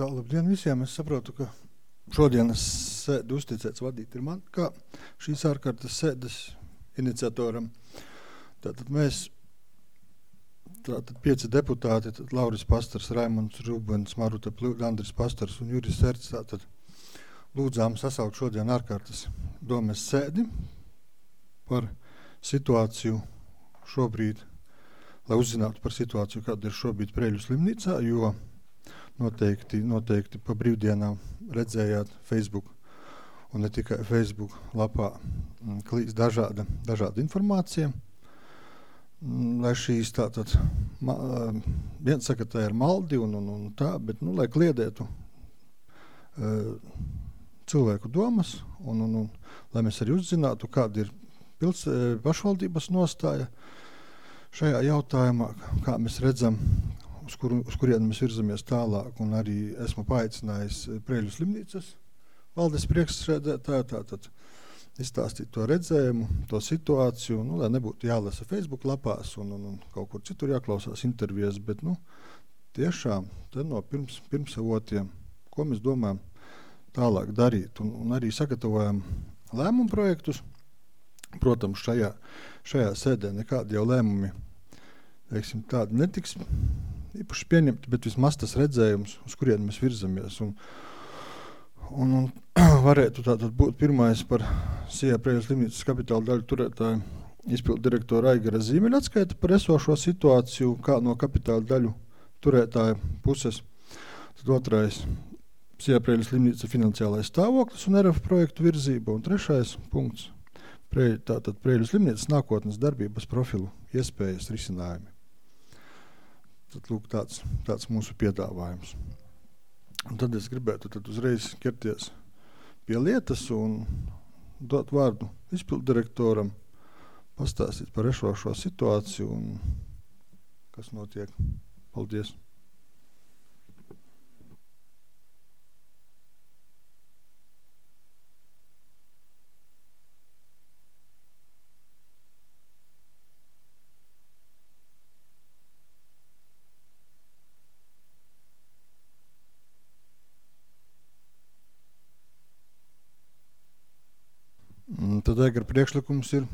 Tā, labdien visiem. Es saprotu, ka šodienas sēdi uzticēts vadīt ir man, kā šīs ārkārtas sēdes iniciatoram. Tātad mēs, 5 deputāti, Lauris Pastars, Raimunds Rubens, Maruta Pļūda, Andris Pastars un Juris Erts, tātad lūdzām sasaukt šodien ārkārtas domes sēdi par situāciju šobrīd, lai uzzinātu par situāciju, kāda ir šobrīd Preļu slimnīcā, jo noteikti pa brīvdienām redzējāt Facebook un ne tikai Facebook lapā klīst dažāda informācija. Lai šīs tātad, viens saka, tā ir maldi un tā, bet, lai kliedētu cilvēku domas un lai mēs arī uzzinātu, kāda ir pašvaldības nostāja šajā jautājumā, kā mēs redzam, uz kurien mēs virzamies tālāk, un arī esmu paaicinājis Preļu slimnīcas valdes priekšsēdētāju, tātad izstāstīt to redzējumu, to situāciju, lai nebūtu jālasa Facebook lapās un kaut kur citur jāklausās intervijas, bet, tiešām te no pirmsavotiem, ko mēs domājam tālāk darīt, un arī sagatavojam lēmumu projektus. Protams, šajā sēdē nekādi jau lēmumi, tādi netiks īpaši pieņemti, bet vismaz tas redzējums, uz kurien mēs virzamies. Un varētu tātad būt pirmais par SIA Preļu slimnīcas kapitāla daļu turētāju izpildu direktora Aigara Zīmeļa atskaita par esošo situāciju, kā no kapitāla daļu turētāja puses. Tad otrais SIA Preļu slimnīca finansiālais stāvoklis un RF projektu virzība. Un trešais punkts tātad Preļu slimnīcas nākotnes darbības profilu iespējas risinājumi. Tad lūk tāds mūsu piedāvājums. Un tad es gribētu uzreiz ķerties pie lietas un dot vārdu izpildu direktoram, pastāstīt par esošo situāciju un kas notiek. Paldies! Tad Aigara priekšlikums ir.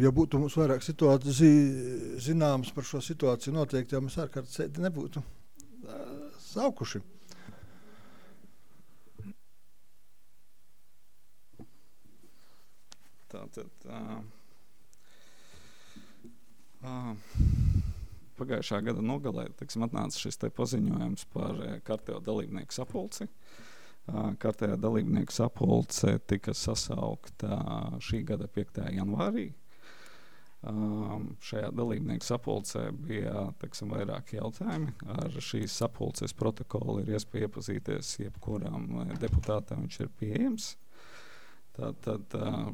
Ja būtu mums vairāk situāciju zināmas par šo situāciju noteikti, jau mēs ārkārtas sēdi nebūtu saukuši. Tātad pagājušā gada nogalē, atnāca šis te paziņojums par kārtējo dalībnieku sapulci. Kārtējā dalībnieku sapulce tika sasaukta šī gada 5. janvārī. Šajā dalībnieku sapulcē bija vairāki jautājumi. Ar šīs sapulces protokolu ir iespēja iepazīties jebkuram deputātam, viņš ir pieejams. Tātad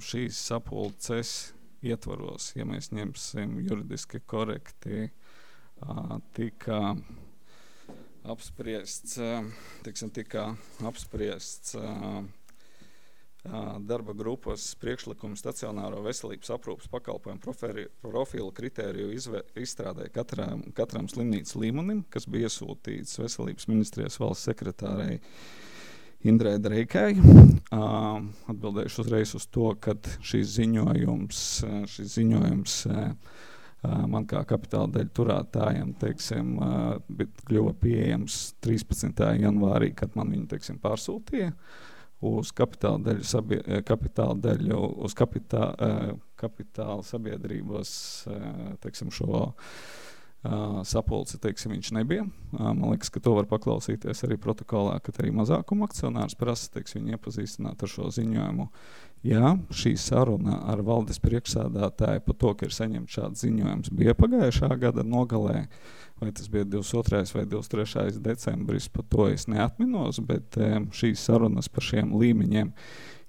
šīs sapulces ietvaros, ja mēs ņemsim juridiski korekti, tika apspriests darba grupas priekšlikums stacionāro veselības aprūpes pakalpojumu profilu kritēriju izstrādē katram slimnīcas līmenim, kas bija iesūtīts Veselības ministrijas valsts sekretārei Indrai Dreikai. Atbildējuši uzreiz uz to, ka šis ziņojums man kā kapitāla daļu turētājiem, kļuva pieejams 13. janvārī, kad man viņu, pārsūtīja uz kapitāla sabiedrības, šo sapulci, viņš nebija. Man liekas, ka to var paklausīties arī protokolā, kad arī mazākuma akcionārs prasa, viņu iepazīstināt ar šo ziņojumu, Jā, šī saruna ar valdes priekšsādātāju par to, ka ir saņemts šāds ziņojums, bija pagājušā gada nogalē, vai tas bija 22. vai 23. decembris, par to es neatminos, bet šīs sarunas par šiem līmeņiem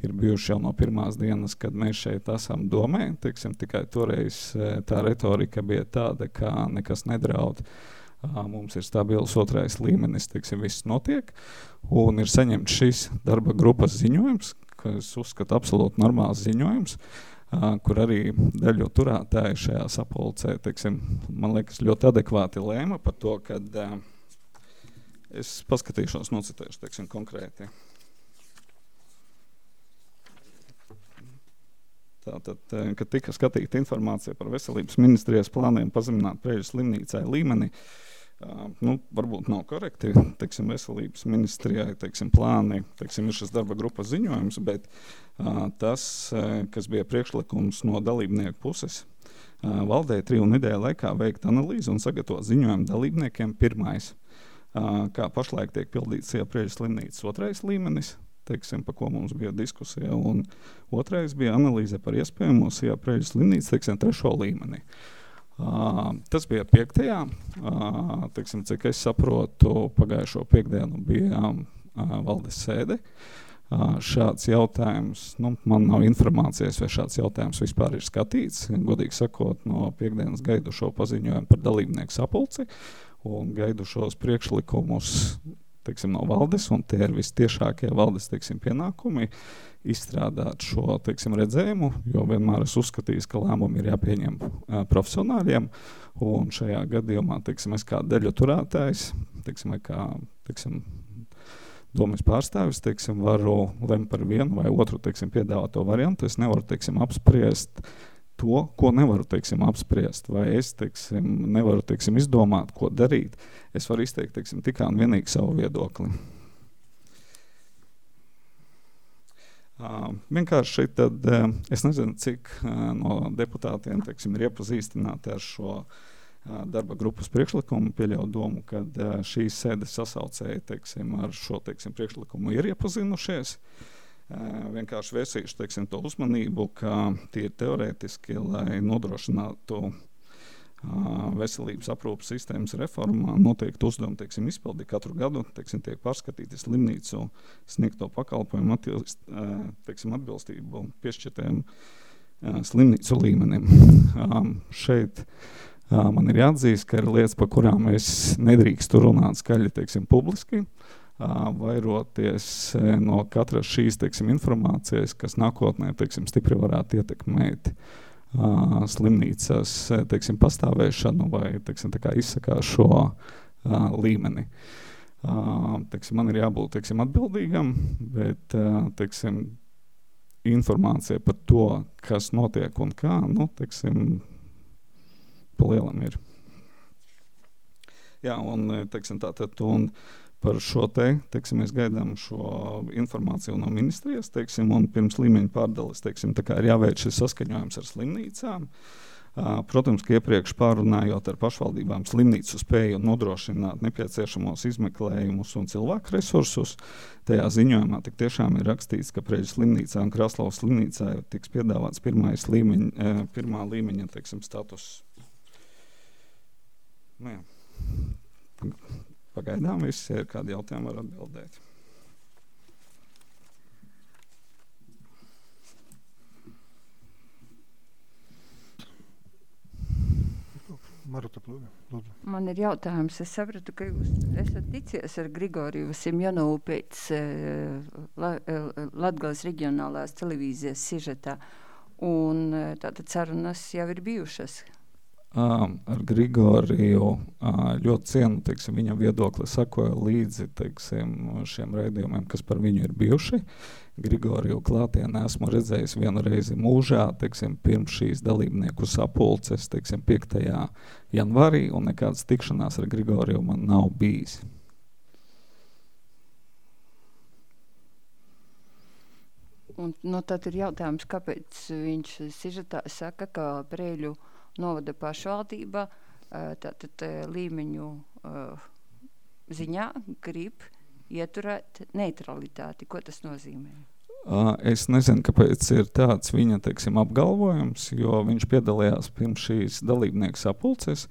ir bijuši jau no pirmās dienas, kad mēs šeit esam domē, tikai toreiz tā retorika bija tāda, ka nekas nedraud. Mums ir stabils 2. līmenis, viss notiek, un ir saņemts šis darba grupas ziņojums, kas uzskata absolūti normāls ziņojums, kur arī daļu turētāji šajā sapulcē, man liekas, ļoti adekvāti lēma par to, kad es paskatīšos, nocitēšu, konkrēti. Tātad, kad tika skatīta informācija par veselības ministrijas plāniem pazemināt Preiļu slimnīcai līmeni, varbūt nav korekti, veselības ministrijai, plāni, ir šis darba grupas ziņojums, bet tas, kas bija priekšlikums no dalībnieku puses, valdē 3 nedēļu laikā veikt analīzi un sagatavot ziņojumu dalībniekiem pirmais, kā pašlaik tiek pildīts Preiļu slimnīcas 2. līmenis, par ko mums bija diskusija, un 2. bija analīze par iespējamo Preiļu slimnīcu, 3. līmenī. Tas bija 5. Cik es saprotu, pagājušo piekdienu bija valdes sēde. Šāds jautājums, man nav informācijas, vai šāds jautājums vispār ir skatīts. Godīgi sakot, no piekdienas gaidu šo paziņojumu par dalībnieku sapulci un gaidu šos priekšlikumus no valdes, un tie ir vistiešākie valdes, pienākumi izstrādāt šo, redzējumu, jo vienmēr es uzskatīju, ka lēmumi ir jāpieņem profesionāļiem, un šajā gadījumā, es kā daļu turētājs, vai kā, domas pārstāvis, varu lemt par vienu vai otru, piedāvāto variantu. Es nevaru, apspriest to, ko nevaru, apspriest, vai es, nevaru, izdomāt, ko darīt. Es varu izteikt, tikai un vienīgi savu viedokli. Vienkārši tad, es nezinu, cik no deputātiem, ir iepazīstināti ar šo darba grupas priekšlikumu, pieļauju domu, kad šīs sēdes sasaucēji, ar šo, priekšlikumu ir iepazinušies. Vienkārši vērsīšu, to uzmanību, ka tie ir teorētiski, lai nodrošinātu veselības aprūpas sistēmas reformā noteikti uzdevumi, izpildi katru gadu, tiek pārskatīti slimnīcu sniegto pakalpojumu atbilstību piešķirtiem slimnīcu līmenim. Šeit man ir jāatzīst, ka ir lietas, par kurām es nedrīkstu runāt skaļi, publiski, vairoties no katras šīs, informācijas, kas nākotnē, stipri varētu ietekmēt slimnīcas, pastāvēšanu vai, izsakās šo līmeni. Man ir jābūt, atbildīgam, bet, informācija par to, kas notiek un kā, pa lielam ir. Jā, un, tātad, un par šo mēs gaidām šo informāciju no ministrijas, un pirms līmeņa pārdales, ir jāveic šis saskaņojums ar slimnīcām. Protams, ka iepriekš pārunājot ar pašvaldībām slimnīcu spēju nodrošināt nepieciešamos izmeklējumus un cilvēku resursus, tajā ziņojumā tik tiešām ir rakstīts, ka Preiļu slimnīcā un Kraslavas slimnīcā tiks piedāvāts pirmā līmeņa, status. Jā. Pagaidām viss, ja ir kādi jautājumi, var atbildēt. Maruta, lūdzu. Man ir jautājums. Es sapratu, ka jūs esat ticies ar Grigoriju Simjonovu pēc Latgales reģionālās televīzijas sižetā, un tātad sarunas jau ir bijušas. Ar Grigoriju ļoti cienu, viņa viedokli sakoja līdzi, šiem raidījumiem, kas par viņu ir bijuši. Grigoriju klātienē esmu redzējis vienu reizi mūžā, pirms šīs dalībnieku sapulces, 5. janvārī, un nekādas tikšanās ar Grigoriju man nav bijis. Un, tad ir jautājums, kāpēc viņš sižetā saka, ka Preiļu novada pašvaldība tātad līmeņu ziņā grib ieturēt neutralitāti. Ko tas nozīmē? Es nezinu, kāpēc ir tāds viņa, teiksim, apgalvojums, jo viņš piedalījās pirms šīs dalībnieku sapulces.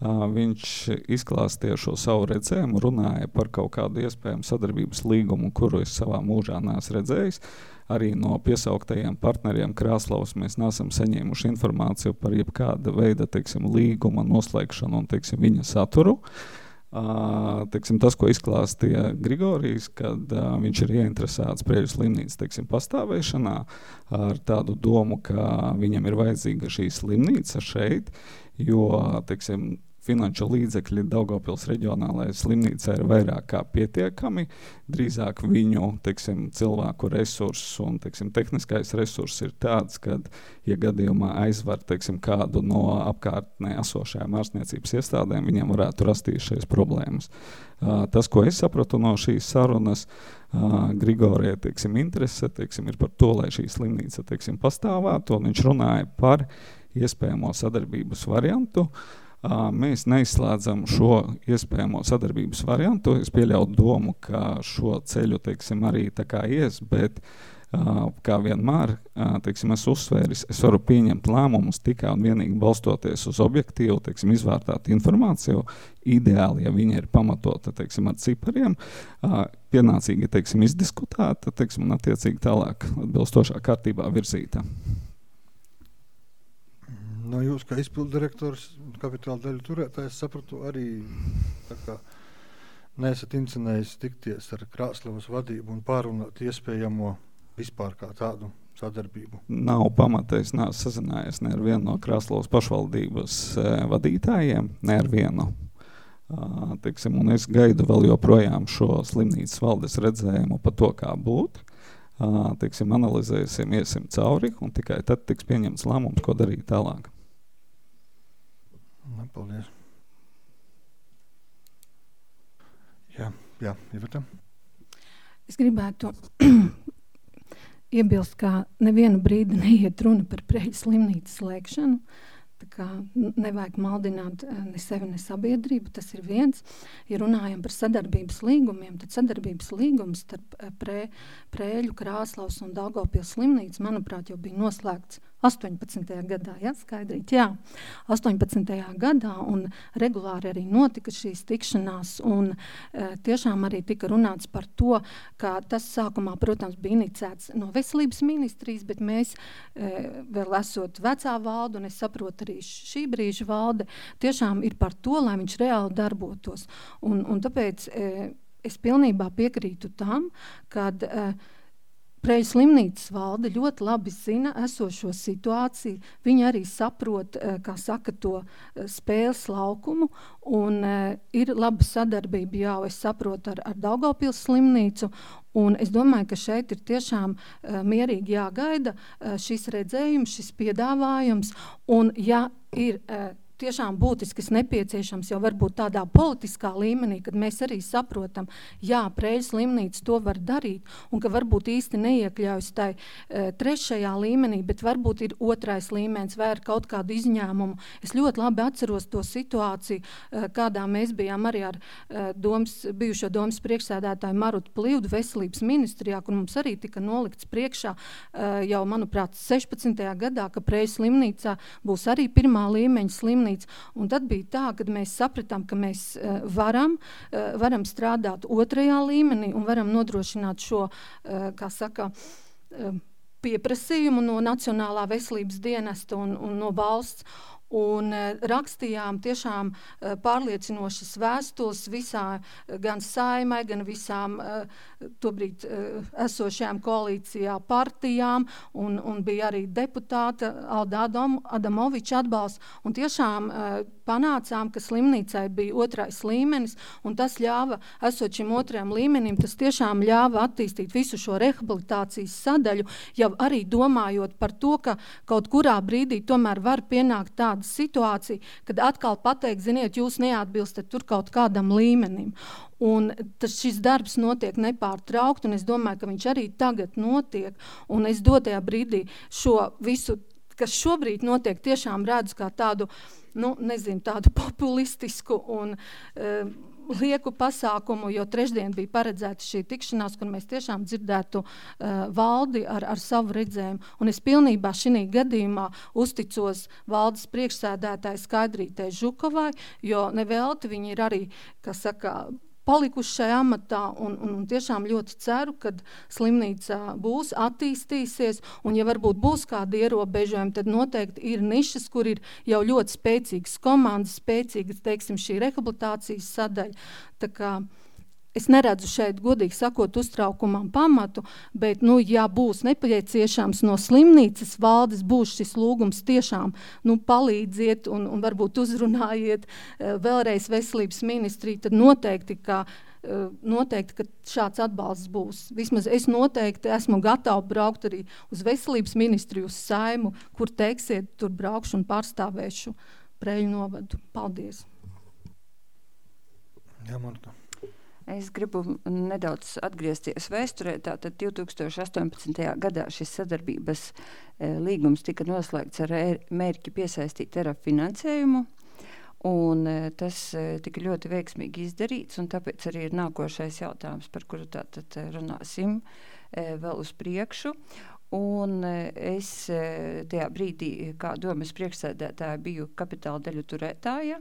Viņš izklāstīja šo savu redzējumu, runāja par kaut kādu iespējamu sadarbības līgumu, kuru es savā mūžā neesmu redzējis. Arī no piesauktajiem partneriem Krāslavas mēs neesam saņēmuši informāciju par jebkāda veida, teiksim, līguma noslēgšanu un, teiksim, viņa saturu. Teiksim, tas, ko izklāstīja Grigorijs, kad viņš ir ieinteresēts Preļu slimnīcas, teiksim, pastāvēšanā ar tādu domu, ka viņam ir vajadzīga šī slimnīca šeit, jo, teiksim, finanšu līdzekļi Daugavpils reģionālajai slimnīcai ir vairāk kā pietiekami, drīzāk viņu, teiksim, cilvēku resursus un, teiksim, tehniskais resurss ir tāds, kad, ja gadījumā aizvar, teiksim, kādu no apkārtnē esošajām ārstniecības iestādēm, viņam varētu rasties šīs problēmas. Tas, ko es sapratu no šīs sarunas, Grigorija, teiksim, interese, teiksim, ir par to, lai šī slimnīca, teiksim, pastāvētu, un viņš runāja par iespējamo sadarbības variantu. Mēs neizslēdzam šo iespējamo sadarbības variantu. Es pieļautu domu, ka šo ceļu, teiksim, arī tā kā ies, bet kā vienmēr, teiksim, es uzsvēris, es varu pieņemt lēmumus tikai un vienīgi balstoties uz objektīvu, teiksim, izvērtātu informāciju. Ideāli, ja viņa ir pamatota, teiksim, ar cipariem, pienācīgi, teiksim, izdiskutēta, teiksim, un attiecīgi tālāk atbilstošā kārtībā virzīta. No jūs, kā izpildirektors, kapitāla daļu turētājs, sapratu arī, tā kā neesat incinējis tikties ar Krāslavas vadību un pārunāt iespējamo vispār kā tādu sadarbību. Nav pamata, es neesmu sazinājies ne ar vienu no Krāslavas pašvaldības vadītājiem, ne ar vienu. Teiksim, un es gaidu vēl joprojām šo slimnīcas valdes redzējumu par to, kā būt. Teiksim, analizēsim, iesim cauri, un tikai tad tiks pieņemts lēmums, ko darīt tālāk. Paldies. Jā, Iveta. Es gribētu iebilst, ka nevienu brīdi neiet runa par Preļu slimnīcas slēgšanu. Tā kā nevajag maldināt ne sevi, ne sabiedrību, tas ir viens. Ja runājam par sadarbības līgumiem, tad sadarbības līgums starp Preļu, Krāslavas un Daugavpils slimnīcu, manuprāt, jau bija noslēgts 18. gadā, ja, skaidrīt, jā, 18. gadā, un regulāri arī notika šīs tikšanās, un tiešām arī tika runāts par to, ka tas sākumā, protams, bija inicēts no veselības ministrijas, bet mēs vēl esot vecā valde, un es saprotu arī šī brīža valde, tiešām ir par to, lai viņš reāli darbotos. Un tāpēc es pilnībā piekrītu tam, kad Preļu slimnīcas valde ļoti labi zina esošo situāciju. Viņi arī saprot, kā saka, to spēles laukumu, un ir laba sadarbība, jau es saprotu, ar Daugavpils slimnīcu, un es domāju, ka šeit ir tiešām mierīgi jāgaida šis redzējums, šis piedāvājums, un ja ir tiešām būtiskas nepieciešams jau varbūt tādā politiskā līmenī, kad mēs arī saprotam, jā, Preļu slimnīca to var darīt, un ka varbūt īsti neiekļaujas tai trešajā līmenī, bet varbūt ir otrais līmenis vai ar kaut kādu izņēmumu. Es ļoti labi atceros to situāciju, kādā mēs bijām arī ar bijušo domas priekšsēdētāju Marutu Plivdu veselības ministrijā, kur mums arī tika nolikts priekšā jau, manuprāt, 16. gadā, ka Preļu slimnīcā būs arī pirmā līmeņa slimnīca. Un tad bija tā, kad mēs sapratām, ka mēs varam strādāt otrajā līmenī un varam nodrošināt šo, kā saka, pieprasījumu no Nacionālā veselības dienesta un no valsts. Un rakstījām tiešām pārliecinošas vēstules visā, gan Saimai, gan visām tobrīd esošajām koalīcijā partijām, un bija arī deputāta Alda Adamoviča atbalsts, un tiešām panācām, ka slimnīcai bija otrais līmenis, un tas ļāva, esot šim otrajam līmenim, tas tiešām ļāva attīstīt visu šo rehabilitācijas sadaļu, jau arī domājot par to, ka kaut kurā brīdī tomēr var pienākt tāda situācija, kad atkal pateikt, ziniet, jūs neatbilstat tur kaut kādam līmenim. Un šis darbs notiek nepārtraukt, un es domāju, ka viņš arī tagad notiek, un es dotajā brīdī šo visu, kas šobrīd notiek, tiešām redzu kā tādu, tādu populistisku un lieku pasākumu, jo trešdien bija paredzēta šī tikšanās, kur mēs tiešām dzirdētu valdi ar savu redzējumu. Un es pilnībā šī gadījumā uzticos valdes priekšsēdētāji Skaidrītei Žukovai, jo nevelti viņi ir arī, kas saka, palikuši šajā amatā un tiešām ļoti ceru, kad slimnīca būs, attīstīsies, un ja varbūt būs kādi ierobežojumi, tad noteikti ir nišas, kur ir jau ļoti spēcīgas komandas, spēcīgas, teiksim, šī rehabilitācijas sadaļa. Tā kā es neredzu šeit, godīgi sakot, uztraukumam pamatu, bet, ja būs nepieciešams no slimnīcas valdes, būs šis lūgums tiešām, palīdziet un varbūt uzrunājiet vēlreiz veselības ministriju, tad noteikti, ka šāds atbalsts būs. Vismaz es noteikti esmu gatava braukt arī uz veselības ministriju, uz Saimu, kur teiksiet, tur braukšu un pārstāvēšu Preiļu novadu. Paldies! Jā, Marta. Es gribu nedaudz atgriezties vēsturē. Tātad 2018. gadā šis sadarbības līgums tika noslēgts ar mērķi piesaistīt ERAF finansējumu, un tas tika ļoti veiksmīgi izdarīts, un tāpēc arī ir nākošais jautājums, par kuru tātad runāsim vēl uz priekšu. Un es tajā brīdī, kā domas priekšsēdētāja, biju kapitāla daļu turētāja,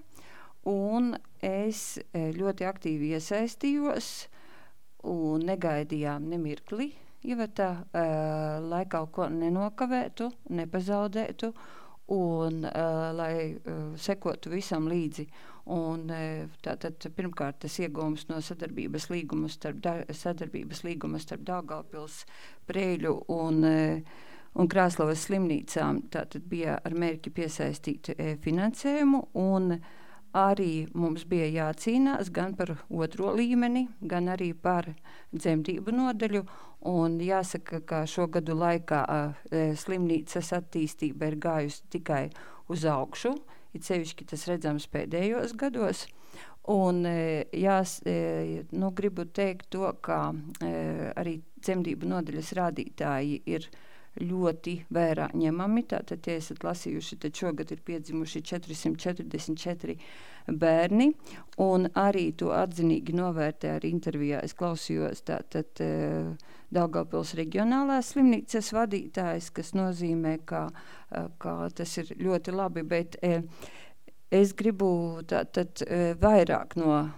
un es ļoti aktīvi iesaistījos un negaidījām nemirkli, Iveta, lai kaut ko nenokavētu, nepazaudētu un lai sekotu visam līdzi. Un tātad pirmkārt tas iegūms no sadarbības līguma starp Daugavpils, Preiļu un Krāslavas slimnīcām. Tātad bija ar mērķi piesaistīt finansējumu, un arī mums bija jācīnās gan par otro līmeni, gan arī par dzemdību nodaļu, un jāsaka, ka šo gadu laikā slimnīcas attīstība ir gājusi tikai uz augšu, it sevišķi tas redzams pēdējos gados, un gribu teikt to, ka arī dzemdību nodaļas rādītāji ir ļoti vērā ņemami. Tātad, ja esat lasījuši, tad šogad ir piedzimuši 444 bērni, un arī to atzinīgi novērtē arī intervijā. Es klausījos tātad Daugavpils reģionālās slimnīcas vadītājs, kas nozīmē, ka tas ir ļoti labi, bet es gribu tātad vairāk no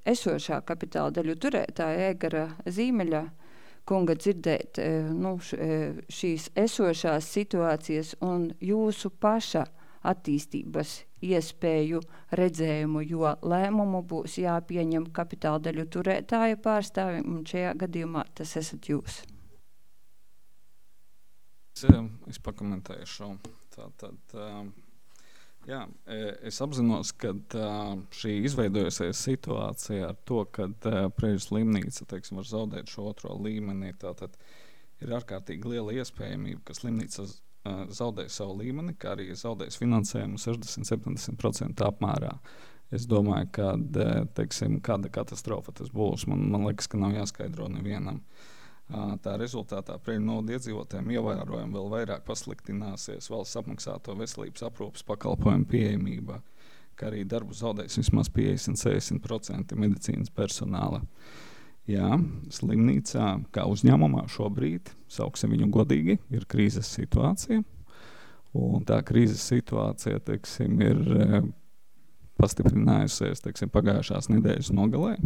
esošā kapitāla daļu turētāja Egara Zīmeļa kunga dzirdēt šīs esošās situācijas un jūsu paša attīstības iespēju redzējumu, jo lēmumu būs jāpieņem kapitāla daļu turētāja pārstāvim, un šajā gadījumā tas esat jūs. Es pakomentēšu. Es apzinos, ka šī izveidojusies situācija ar to, ka Preiļu slimnīca, var zaudēt šo otro līmeni, tātad ir ārkārtīgi liela iespējamība, ka slimnīca zaudēs savu līmeni, kā arī zaudēs finansējumu 60-70% apmērā. Es domāju, ka kāda katastrofa tas būs. Man liekas, ka nav jāskaidro nevienam. Tā rezultātā Preiļu novada iedzīvotājiem ievērojami vēl vairāk pasliktināsies valsts apmaksāto veselības aprūpes pakalpojumu pieejamība, kā arī darbu zaudēs vismaz 50-60% medicīnas personāla. Jā, slimnīcā, kā uzņēmumā šobrīd, sauksim viņu godīgi, ir krīzes situācija, un tā krīzes situācija, ir pastiprinājusies, pagājušās nedēļas nogalē,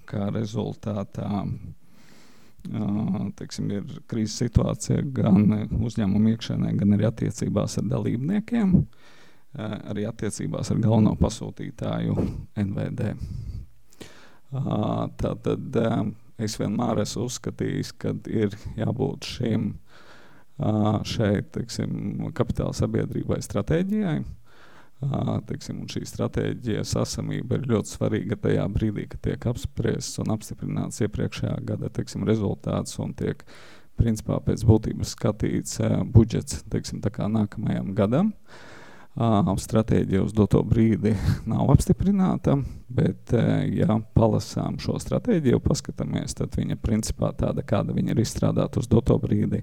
kā rezultātā ir krīzes situācija gan uzņēmuma iekšēnē, gan arī attiecībās ar dalībniekiem, arī attiecībās ar galveno pasūtītāju NVD. Tātad es vienmēr esmu uzskatījis, ka ir jābūt šeit kapitāla sabiedrībai stratēģijai, un šī stratēģija sasamība ir ļoti svarīga tajā brīdī, kad tiek apspriests un apstiprināts iepriekšējā gada rezultāts un tiek principā pēc būtības skatīts budžets nākamajam gadam. Stratēģija uz doto brīdi nav apstiprināta, bet ja palasām šo stratēģiju, paskatāmies, tad viņa principā tāda, kāda viņa ir izstrādāta uz doto brīdi,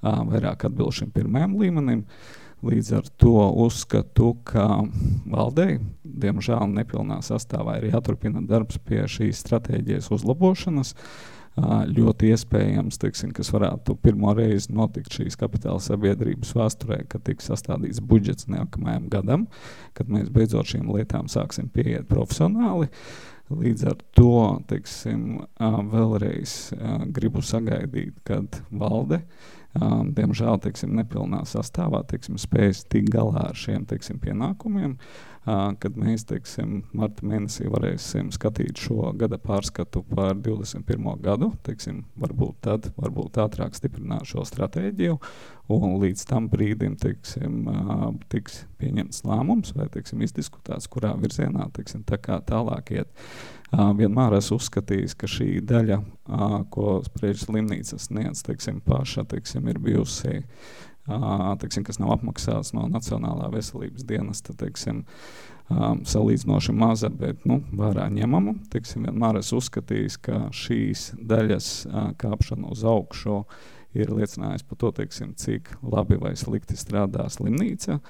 vairāk atbilst šim pirmajam līmenim. Līdz ar to uzskatu, ka valdei, diemžēl nepilnā sastāvā, ir jāturpina darbs pie šīs stratēģijas uzlabošanas. Ļoti iespējams, teiksim, kas varētu pirmo reizi notikt šīs kapitāla sabiedrības vēsturē, kad tiks sastādīts budžets nākamajam gadam, kad mēs beidzot šīm lietām sāksim pieiet profesionāli. Līdz ar to, teiksim, vēlreiz gribu sagaidīt, kad valde, diemžēl, teiksim, nepilnā sastāvā, teiksim, spējas tik galā ar šiem, teiksim, pienākumiem, kad mēs, teiksim, marta mēnesī varēsim skatīt šo gada pārskatu par 21. gadu, teiksim, varbūt ātrāk stiprināt šo stratēģiju, un līdz tam brīdim, teiksim, tiks pieņemts lēmums vai, teiksim, izdiskutēts, kurā virzienā, teiksim, tā kā tālāk iet. Vienmēr esmu uzskatījis, ka šī daļa, ko Sprēļu slimnīca sniedz, teiksim, paša, teiksim, ir bijusi, teiksim, kas nav apmaksāts no Nacionālā veselības dienesta, teiksim, salīdzinoši maza, bet, vērā ņemama. Teiksim, vienmēr esmu uzskatījis, ka šīs daļas kāpšana uz augšu ir liecinājis par to, teiksim, cik labi vai slikti strādā slimnīca.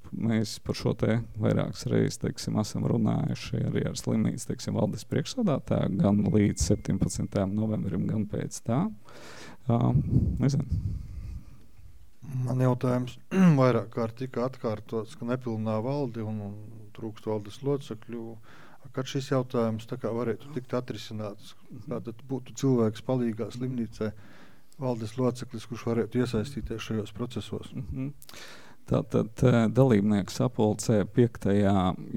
Mēs par šo te vairākas reizes, teiksim, esam runājuši arī ar slimnīcu, teiksim, valdes priekšsādātāju, gan līdz 17. novembrim, gan pēc tā. Nezinu. Man jautājums vairāk kārt tika atkārtots, ka nepilnā valdi un trūkst valdes locekļu. Kad šis jautājums tā kā varētu tikt atrisināts, tātad būtu cilvēks palīgā slimnīcai, valdes loceklis, kurš varētu iesaistīties šajos procesos? Tātad dalībnieku sapulcē 5.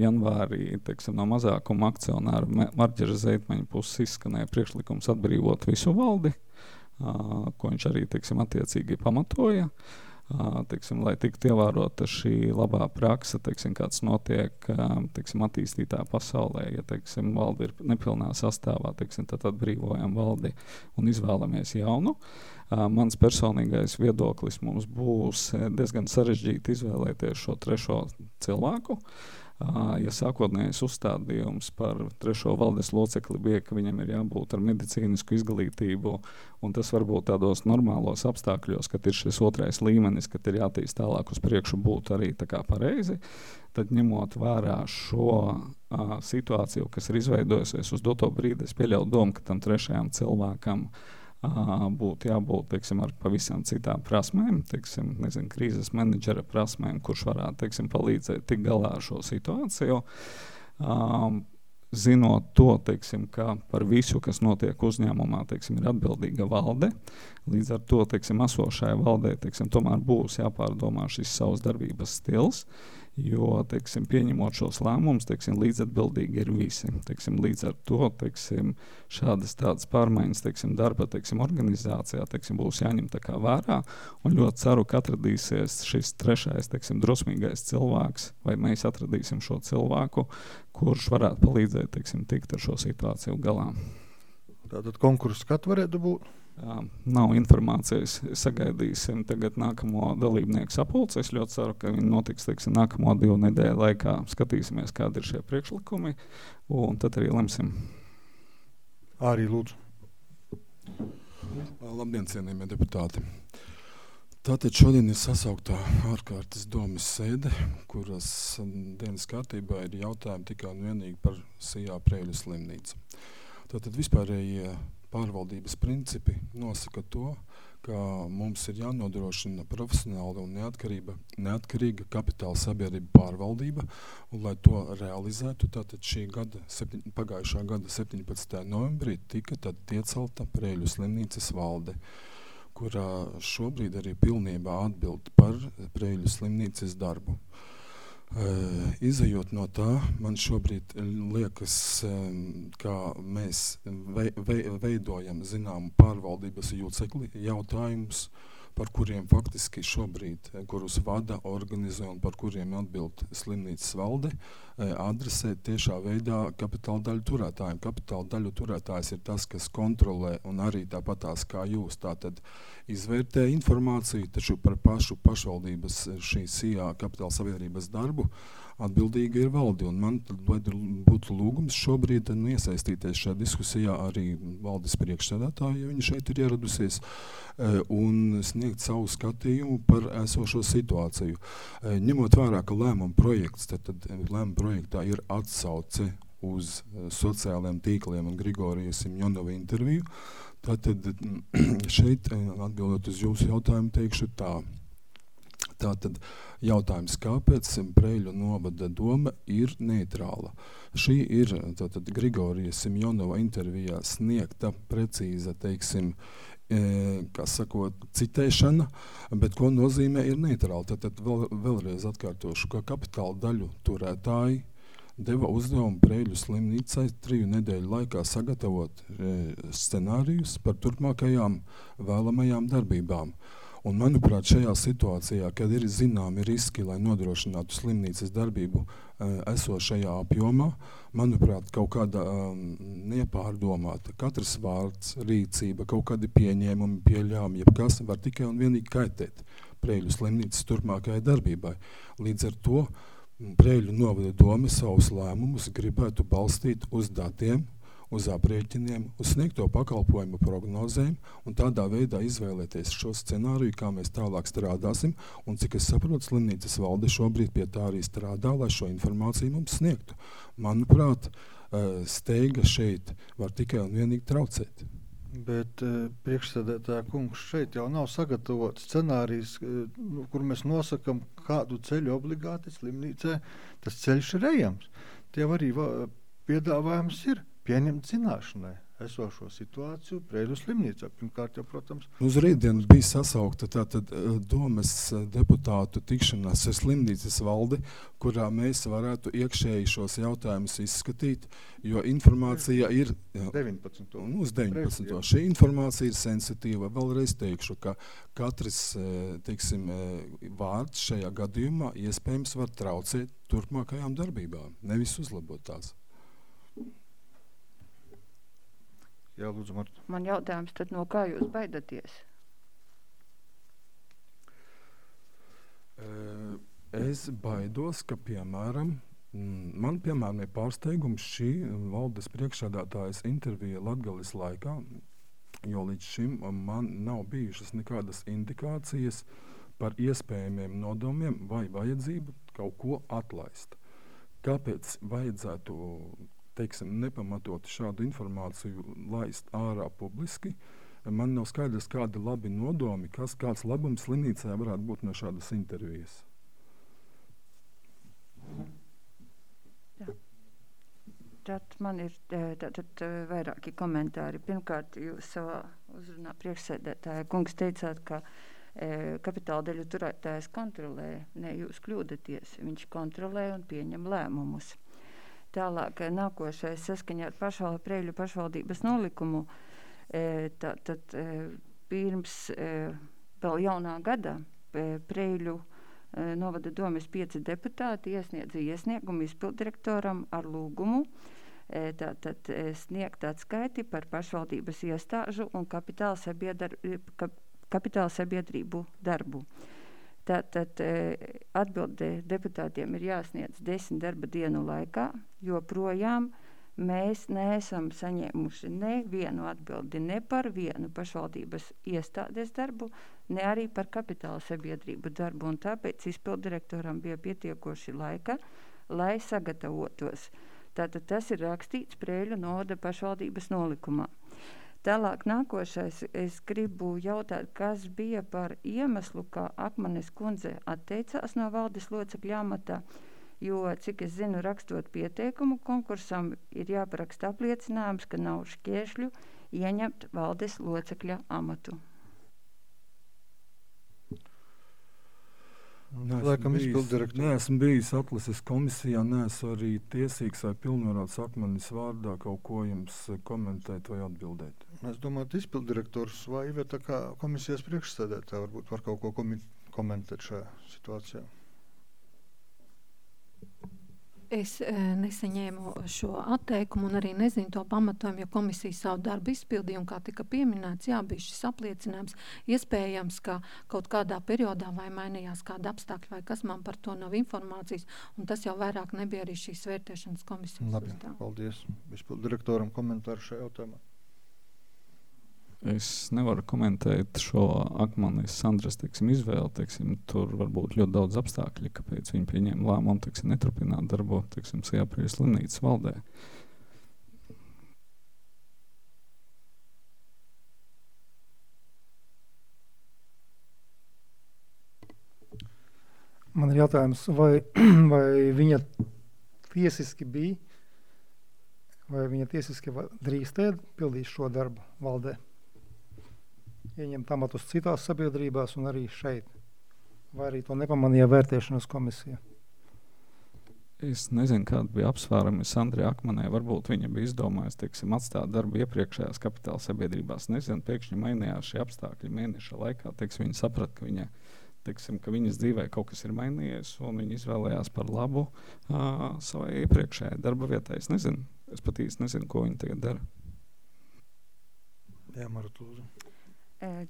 janvārī, teiksim, no mazākuma akcionāra Marģera Zeitmaņa puses izskanēja priekšlikums atbrīvot visu valdi, ko viņš arī, teiksim, attiecīgi pamatoja. Teiksim, lai tiktu ievērota šī labā praksa, teiksim, kāds notiek, teiksim, attīstītā pasaulē, ja, teiksim, valde ir nepilnā sastāvā, teiksim, tad atbrīvojam valdi un izvēlamies jaunu. Mans personīgais viedoklis mums būs diezgan sarežģīti izvēlēties šo trešo cilvēku. Ja sākotnējais uzstādījums par trešo valdes locekli bija, ka viņam ir jābūt ar medicīnisku izglītību, un tas varbūt tādos normālos apstākļos, kad ir šis otrais līmenis, kad ir jātīst tālāk uz priekšu, būtu arī tā kā pareizi, tad ņemot vērā šo situāciju, kas ir izveidojusies uz doto brīdi, es pieļauju domu, ka tam trešajam cilvēkam būtu jābūt, teiksim, ar pavisam citām prasmēm, teiksim, nezinu, krīzes menedžera prasmēm, kurš varētu, teiksim, palīdzēt tik galā ar šo situāciju. Zinot to, teiksim, ka par visu, kas notiek uzņēmumā, teiksim, ir atbildīga valde, līdz ar to, teiksim, esošajai valdē, teiksim, tomēr būs jāpārdomā šis savs darbības stils, jo, teiksim, pieņemot šos lēmumus, teiksim, līdzatbildīgi ir visi. Teiksim, līdz ar to, teiksim, šādas tādas pārmaiņas, teiksim, darba, teiksim, organizācijā, teiksim, būs jāņem tā kā vērā, un ļoti ceru, ka atradīsies šis trešais, teiksim, drosmīgais cilvēks, vai mēs atradīsim šo cilvēku, kurš varētu palīdzēt, teiksim, tikt ar šo situāciju galā. Tātad konkurss kad varētu būt? Nav informācijas, sagaidīsim tagad nākamo dalībnieku sapulci. Es ļoti ceru, ka viņi notiks, teiksim, nākamo 2 nedēļu laikā. Skatīsimies, kādi ir šie priekšlikumi, un tad arī lemsim. Arī lūdzu. Labdien, cienījamie deputāti. Tātad šodien ir sasauktā ārkārtas domes sēde, kuras dienas kārtībā ir jautājumi tikai un vienīgi par Sijā Prēļu slimnīcu. Tātad vispārējie pārvaldības principi nosaka to, ka mums ir jānodrošina profesionāla un neatkarīga kapitāla sabiedrība pārvaldība, un lai to realizētu, tātad pagājušā gada 17. novembrī tika tad iecelta Prēļu slimnīcas valde, kurā šobrīd arī pilnībā atbild par Prēļu slimnīcas darbu. Izejot no tā, man šobrīd liekas, ka mēs veidojam zināmu pārvaldības jūcekli jautājumus, par kuriem faktiski šobrīd, kurus vada, organizē un par kuriem atbild slimnīcas valde, adresē tiešā veidā kapitāla daļu turētājiem. Kapitāla daļu turētājs ir tas, kas kontrolē un arī tāpatās kā jūs, tātad izvērtē informāciju, taču par pašvaldības šī Sijā kapitāla sabiedrības darbu atbildīga ir valde. Un man būtu lūgums šobrīd iesaistīties šajā diskusijā arī valdes priekšsēdētāju, ja viņa šeit ir ieradusies, un sniegt savu skatījumu par esošo situāciju. Ņemot vērā, ka lēmuma projekts, tad lēmuma projektā ir atsauce uz sociālajiem tīkliem un Grigorija Simjonova interviju, tātad šeit, atbildot uz jūsu jautājumu, teikšu tā. Tātad jautājums, kāpēc Preiļu novada doma ir neitrāla? Šī ir tātad Grigorija Simjonova intervijā sniegta precīza, teiksim, kā sakot, citēšana, bet ko nozīmē ir neitrāla. Tātad vēlreiz atkārtošu, ka kapitāla daļu turētāji deva uzdevumu Preiļu slimnīcai 3 nedēļu laikā sagatavot scenārijus par turpmākajām vēlamajām darbībām. Un, manuprāt, šajā situācijā, kad ir zināmi riski, lai nodrošinātu slimnīcas darbību esošajā apjomā, manuprāt, kaut kāda nepārdomāta, katrs vārds, rīcība, kaut kādi pieņēmumi, pieļāmi, jebkas var tikai un vienīgi kaitēt Preiļu slimnīcas turpmākajai darbībai. Līdz ar to Preiļu novada doma savus lēmumus gribētu balstīt uz datiem, uz aprēķiniem, uz sniegto pakalpojumu prognozēm un tādā veidā izvēlēties šo scenāriju, kā mēs tālāk strādāsim, un cik es saprotu, slimnīcas valde šobrīd pie tā arī strādā, lai šo informāciju mums sniegtu. Manuprāt, steiga šeit var tikai un vienīgi traucēt. Bet priekšsēdētāja kungs, šeit jau nav sagatavots scenārijs, kur mēs nosakam, kādu ceļu obligāti slimnīcē tas ceļš ir ejams. Tie arī piedāvājums ir pieņemt zināšanai esošo situāciju Preiļu slimnīcā. Pirmkārt jau, protams. Uz rītdienu bija sasaukta tātad domes deputātu tikšanās ar slimnīcas valdi, kurā mēs varētu iekšēji šos jautājumus izskatīt, jo informācija ir 19. Uz 19. Šī informācija ir sensitīva. Vēlreiz teikšu, ka katrs, teiksim, vārds šajā gadījumā iespējams var traucēt turpmākajām darbībām, nevis uzlabot tās. Jā, lūdzu, Marta. Man jautājums, tad no kā jūs baidaties? Es baidos, ka, piemēram, man ir pārsteigums šī valdes priekšsēdētājas intervija Latgales laikā, jo līdz šim man nav bijušas nekādas indikācijas par iespējamiem nodomiem vai vajadzību kaut ko atlaist. Kāpēc vajadzētu, teiksim, nepamatot šādu informāciju laist ārā publiski? Man nav skaidrs, kādi labi nodomi, kāds labums slimnīcā varētu būt no šādas intervijas. Jā. Tad man ir vairāki komentāri. Pirmkārt, jūs savā uzrunā priekšsēdētāja kungs teicāt, ka kapitāla daļu turētājs kontrolē. Ne, jūs kļūdaties. Viņš kontrolē un pieņem lēmumus. Tālāk nākošais saskaņā ar Preiļu pašvaldības nolikumu, tad pirms vēl jaunā gada Preiļu novada domes 5 deputāti iesniedza iesniegumu izpilddirektoram ar lūgumu tātad sniegt atskaiti par pašvaldības iestāžu un kapitāla sabiedrību darbu. Tātad atbilde deputātiem ir jāsniedz 10 darba dienu laikā, jo projām mēs neesam saņēmuši nevienu atbildi ne par vienu pašvaldības iestādes darbu, ne arī par kapitāla sabiedrību darbu, un tāpēc izpilddirektoram bija pietiekoši laika, lai sagatavotos. Tātad tas ir rakstīts Preiļu novada pašvaldības nolikumā. Tālāk nākošais, es gribu jautāt, kas bija par iemeslu, kā Akmanes kundze atteicās no valdes locekļa amata, jo, cik es zinu, rakstot pieteikumu konkursam, ir jāparaksta apliecinājums, ka nav šķēršļu ieņemt valdes locekļa amatu. Neesmu bijis atlases komisijā, neesmu arī tiesīgs vai pilnvarots Akmanes vārdā kaut ko jums komentēt vai atbildēt. Es domāju, izpilddirektors vai Iveta kā komisijas priekšsēdētāja varbūt var kaut ko komentēt šajā situācijā. Es nesaņēmu šo atteikumu un arī nezinu to pamatojumu, jo komisija savu darbu izpildīja un kā tika pieminēts, jā, bija šis apliecinājums. Iespējams, ka kaut kādā periodā vai mainījās kāda apstākļa vai kas man par to nav informācijas, un tas jau vairāk nebija arī šīs vērtēšanas komisijas. Labi, paldies. Izpildu direktoram komentāru šajā jautājumā. Es nevaru komentēt šo Akmenes Sandras izvēli. Tur var būt ļoti daudz apstākļu, kāpēc viņi pieņēma lēmumu neturpināt darbot Sijāpreiļu slimnīcas valdē. Man ir jautājums, vai viņa tiesiski bija, vai viņa tiesiski drīkstēja pildīt šo darbu valdē? Ieņemt amatus citās sabiedrībās un arī šeit. Vai arī to nepamanīja vērtēšanas komisija? Es nezinu, kāda bija apsvērumi Sandrai Akmenei. Varbūt viņa bija izdomājusi, atstāt darbu iepriekšējās kapitāla sabiedrībās. Nezinu, pēkšņi mainījās šie apstākļi mēneša laikā. Viņa saprata, ka viņas dzīvē kaut kas ir mainījies, un viņa izvēlējās par labu savai iepriekšējai darba vietai. Es pat īsti nezinu, ko viņa tagad dara. Jā, Marta, lūdzu.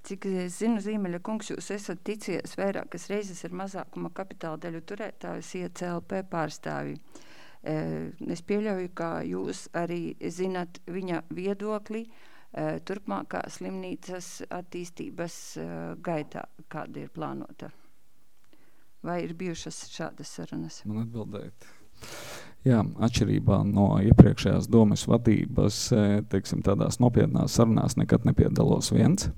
Cik es zinu, Zīmeļa kungs, jūs esat ticies vairākas reizes ar mazākuma kapitāla daļu turētājus ICLP pārstāvji. Es pieļauju, ka jūs arī zinat viņa viedokli turpmākā slimnīcas attīstības gaitā, kāda ir plānota. Vai ir bijušas šādas sarunas? Man atbildēt. Jā, atšķirībā no iepriekšējās domes vadības, tādās nopietnās sarunās nekad nepiedalos viens.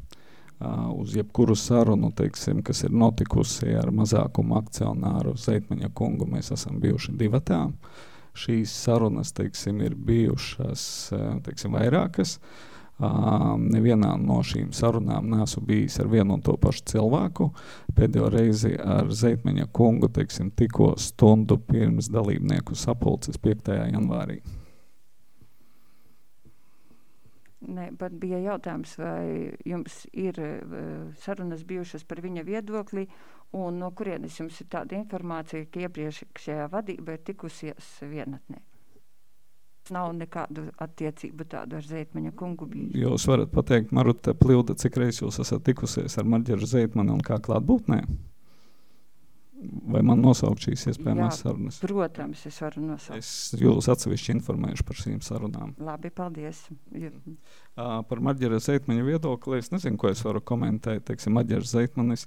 Uz jebkuru sarunu, kas ir notikusi ar mazākumu akcionāru Zeitmaņa kungu, mēs esam bijuši divatā. Šīs sarunas, ir bijušas, vairākas. Nevienā no šīm sarunām neesmu bijis ar vienu un to pašu cilvēku. Pēdējo reizi ar Zeitmaņa kungu, tikko stundu pirms dalībnieku sapulces 5. janvārī. Ne, pat bija jautājums, vai jums ir sarunas bijušas par viņa viedokli, un no kurienes jums ir tāda informācija, ka iepriekšējā vadība ir tikusies vienatnē. Nav nekādu attiecību tādu ar Zeitmaņa kungu bijis. Jūs varat pateikt, Maruta Pļūda, cik reiz jūs esat tikusies ar Marģeru Zeitmani un kā klātbūtnē? Vai man nosaukt šīs iespējamās sarunas? Protams, es varu nosaukt. Es jūs atsevišķi informēšu par šīm sarunām. Labi, paldies. Par Marģera Zeitmaņa viedokli es nezinu, ko es varu komentēt. Marģers Zeitmanis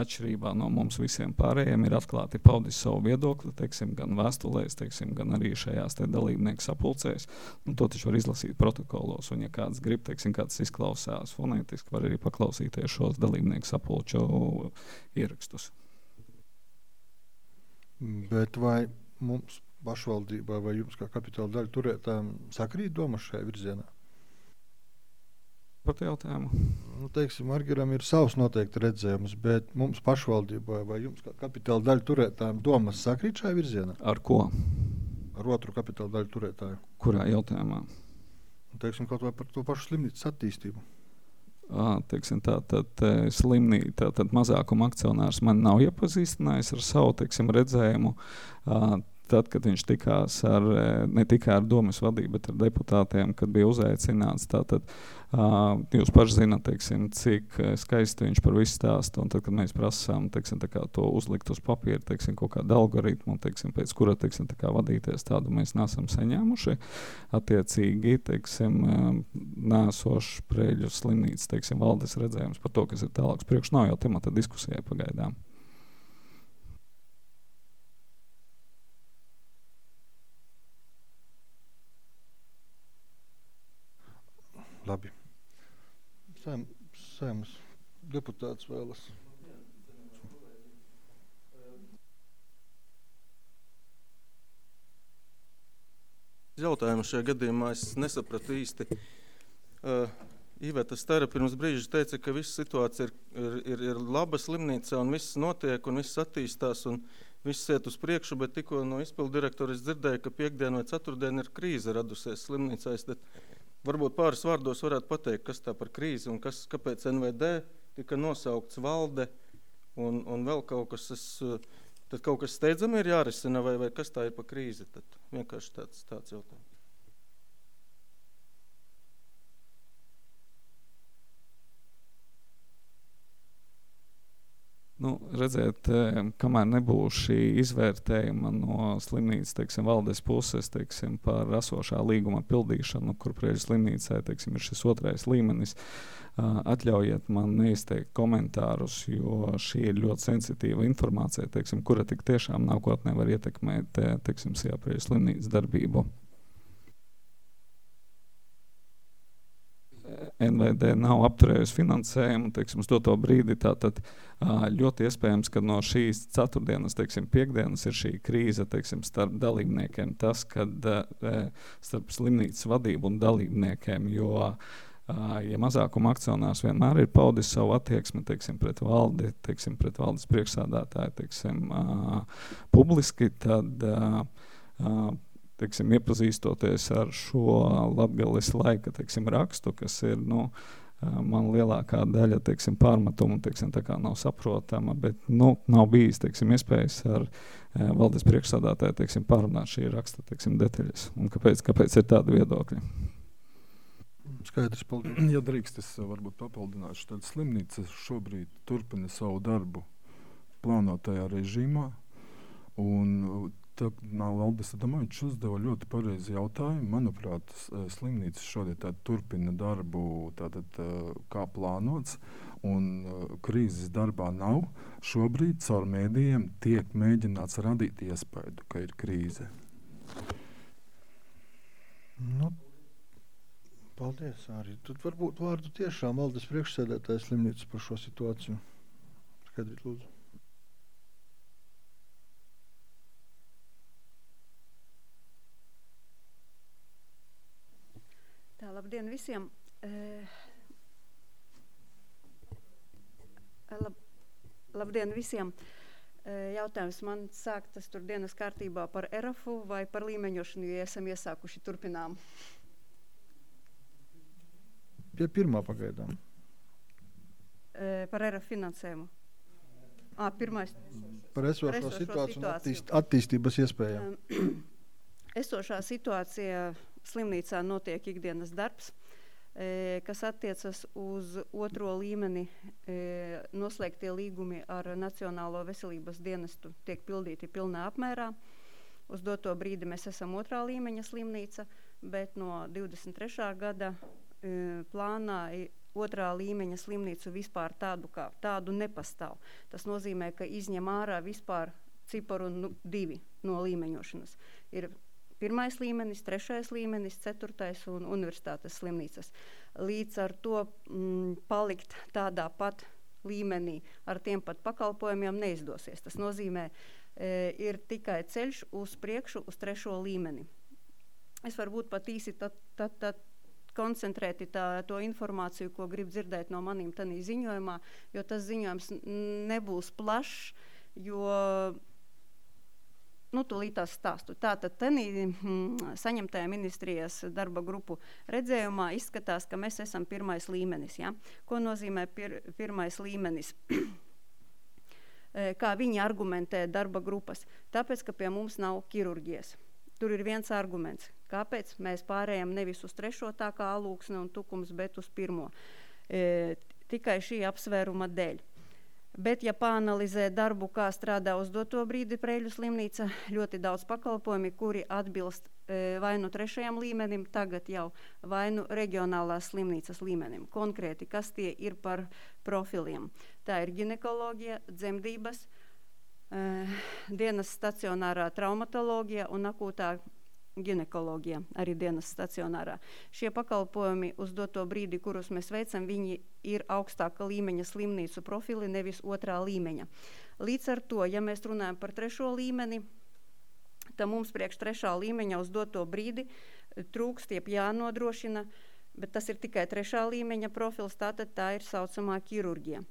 atšķirībā no mums visiem pārējiem ir atklāti paudis savu viedokli, gan vēstulēs, gan arī šajās dalībnieku sapulcēs. To taču var izlasīt protokolos, un ja kāds grib, kāds izklausās fonētiski, var arī paklausīties šos dalībnieku sapulču ierakstus. Bet vai mums pašvaldībā vai jums kā kapitāla daļu turētājiem sakrīt domas šajā virzienā? Par jautājumu? Margeram ir savs noteikti redzējums, bet mums pašvaldībā vai jums kā kapitāla daļu turētājiem domas sakrīt šajā virzienā? Ar ko? Ar otru kapitāla daļu turētāju. Kurā jautājumā? Kaut vai par to pašu slimnīcas attīstību. Tātad mazākuma akcionārs man nav iepazīstinājis ar savu redzējumu. Tad, kad viņš tikās ne tikai ar domas vadību, bet ar deputātiem, kad bija uzaicināts, tātad jūs paši zināt, cik skaisti viņš par visu stāstu, un tad, kad mēs prasām to uzlikt uz papīra, kaut kādu algoritmu, pēc kura vadīties, tādu mēs nesam saņēmuši. Attiecīgi, nēsošs Preļu slimnīcas, valdes redzējums par to, kas ir tālāks priekš, nav jau temata diskusijai pagaidām. Labi. Saeimas deputāts vēlas. Jautājumu šajā gadījumā es nesapratu īsti. Iveta Stara pirms brīža teica, ka visa situācija ir laba slimnīcā un viss notiek un viss attīstās un viss iet uz priekšu, bet tikko no izpildu direktora es dzirdēju, ka piekdien vai ceturtdien ir krīze radusies slimnīcā. Varbūt pāris vārdos varētu pateikt, kas tā par krīzi un kāpēc NVD tika nosaukts valde un vēl kaut kas. Es Tad kaut kas steidzami ir jārisina, vai kas tā ir pa krīzi? Tad vienkārši tāds jautājums. Redziet, kamēr nebūs šī izvērtējuma no slimnīcas, teiksim, valdes puses, teiksim, par esošā līguma pildīšanu, kur Preiļu slimnīcai, teiksim, ir šis otrais līmenis, atļaujiet man neizteikt komentārus, jo šī ir ļoti sensitīva informācija, teiksim, kura tik tiešām nākotnē var ietekmēt, teiksim, Preiļu slimnīcas darbību. NVD nav apturējusi finansējumu, teiksim, uz to brīdi, tātad ļoti iespējams, ka no šīs ceturtdienas, teiksim, piekdienas ir šī krīze, teiksim, starp dalībniekiem, tas, kad starp slimnīcas vadību un dalībniekiem, jo, ja mazākuma akcionārs vienmēr ir paudis savu attieksmi, teiksim, pret valdi, teiksim, pret valdes priekšsādātāju, teiksim, publiski, tad teiksim, iepazīstoties ar šo Latgales laika, teiksim, rakstu, kas ir, man lielākā daļa, teiksim, pārmetumu, teiksim, tā kā nav saprotama, bet, nav bijis, teiksim, iespējas ar valdes priekšsādātāju, teiksim, pārunāt šī raksta, teiksim, detaļas. Un kāpēc ir tādi viedokļi? Skaidrs, paldies. Ja drīkst, es varbūt papildināšu, tad slimnīca šobrīd turpina savu darbu plānotajā režīmā, un Valdis Adamovičs uzdeva ļoti pareizi jautājumu. Manuprāt, slimnīca šodien turpina darbu kā plānots, un krīzes darbā nav. Šobrīd caur mēdījiem tiek mēģināts radīt iespēju, ka ir krīze. Paldies, arī. Tad varbūt vārdu tiešām valdes priekšsēdētājas slimnīcas par šo situāciju. Skaidrīt, lūdzu. Labdien visiem! Labdien visiem! Jautājums man sāktas tur dienas kārtībā par ERAFu vai par līmeņošanu, jo esam iesākuši turpinām? Pie pirmā pagaidām. Par ERAF finansējumu. Pirmais. Par esošo situāciju un attīstības iespējām. Esošā situācija slimnīcā notiek ikdienas darbs, kas attiecas uz otro līmeni. Noslēgtie līgumi ar Nacionālo veselības dienestu tiek pildīti pilnā apmērā. Uz doto brīdi mēs esam otrā līmeņa slimnīca, bet no 23. gada plānā otrā līmeņa slimnīcu vispār tādu nepastāv. Tas nozīmē, ka izņem ārā vispār ciparu 2 no līmeņošanas. Ir pirmais līmenis, 3. līmenis, 4. un universitātes slimnīcas. Līdz ar to palikt tādā pat līmenī ar tiem pat pakalpojumiem neizdosies. Tas nozīmē, ir tikai ceļš uz priekšu uz 3. līmeni. Es varbūt pat īsi koncentrēti to informāciju, ko grib dzirdēt no manīm tanī ziņojumā, jo tas ziņojums nebūs plašs, jo tūlīt tās stāstu. Tātad tanī saņemtajā ministrijas darba grupu redzējumā izskatās, ka mēs esam pirmais līmenis. Ja? Ko nozīmē pirmais līmenis? Kā viņi argumentē darba grupas? Tāpēc, ka pie mums nav ķirurģijas. Tur ir viens arguments. Kāpēc mēs pārējām nevis uz 3. tā kā Alūksne un Tukums, bet uz 1. Tikai šī apsvēruma dēļ. Bet, ja pāanalizē darbu, kā strādā uz doto brīdi Preiļu slimnīca, ļoti daudz pakalpojumi, kuri atbilst vai nu 3. līmenim, tagad jau vai nu reģionālās slimnīcas līmenim. Konkrēti, kas tie ir par profiliem? Tā ir ginekoloģija, dzemdības, dienas stacionārā traumatoloģija un akūtā ginekoloģija, arī dienas stacionārā. Šie pakalpojumi uz doto brīdi, kurus mēs veicam, viņi ir augstāka līmeņa slimnīcu profili, nevis 2. līmeņa. Līdz ar to, ja mēs runājam par 3. līmeni, tad mums priekš 3. līmeņa uz doto brīdi trūkst, jānodrošina, bet tas ir tikai 3. līmeņa profils, tātad tā ir saucamā ķirurģija.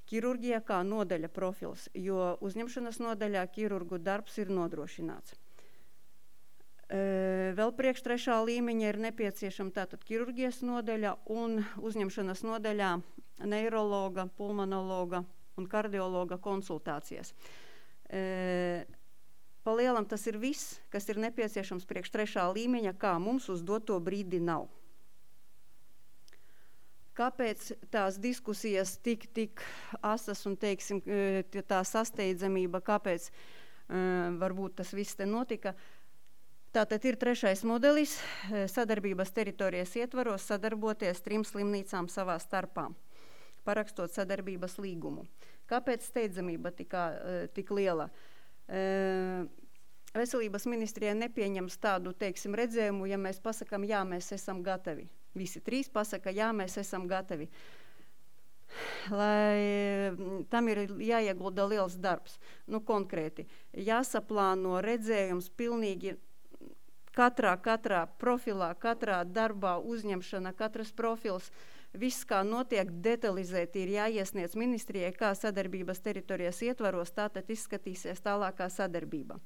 Ķirurģija kā nodaļa profils, jo uzņemšanas nodaļā ķirurgu darbs ir nodrošināts. Vēl priekš 3. līmeņa ir nepieciešama tātad ķirurģijas nodaļa un uzņemšanas nodaļā neirologa, pulmonologa un kardiologa konsultācijas. Pa lielam tas ir viss, kas ir nepieciešams priekš 3. līmeņa, kā mums uz doto brīdi nav. Kāpēc tās diskusijas tik asas un, teiksim, tā sasteidzamība, kāpēc varbūt tas viss te notika? Tātad ir 3. modelis, sadarbības teritorijas ietvaros sadarboties 3 slimnīcām savā starpā, parakstot sadarbības līgumu. Kāpēc steidzamība tik liela? Veselības ministrijai nepieņems tādu, teiksim, redzējumu, ja mēs pasakam, jā, mēs esam gatavi. Visi 3 pasaka, jā, mēs esam gatavi. Lai tam ir jāiegulda liels darbs. Nu, konkrēti, jāsaplāno redzējums pilnīgi katrā profilā, katrā darbā uzņemšana, katras profils, viss, kā notiek, detalizēti ir jāiesniedz ministrijai, kā sadarbības teritorijas ietvaros, tātad izskatīsies tālākā sadarbība.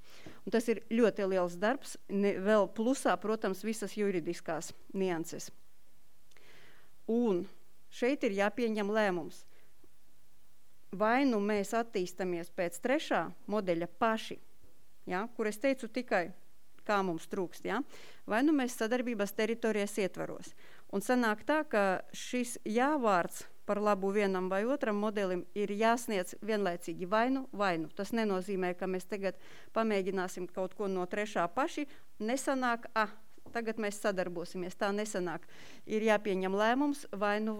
Un tas ir ļoti liels darbs, vēl plusā, protams, visas juridiskās nianses. Un šeit ir jāpieņem lēmums. Vai nu mēs attīstamies pēc 3. modeļa paši, ja, kur es teicu tikai, kā mums trūkst, ja? Vai nu mēs sadarbības teritorijas ietvaros. Un sanāk tā, ka šis jāvārds par labu vienam vai otram modelim ir jāsniedz vienlaicīgi vainu. Tas nenozīmē, ka mēs tagad pamēģināsim kaut ko no 3. paši, nesanāk, tagad mēs sadarbosimies, tā nesanāk. Ir jāpieņem lēmums vainu.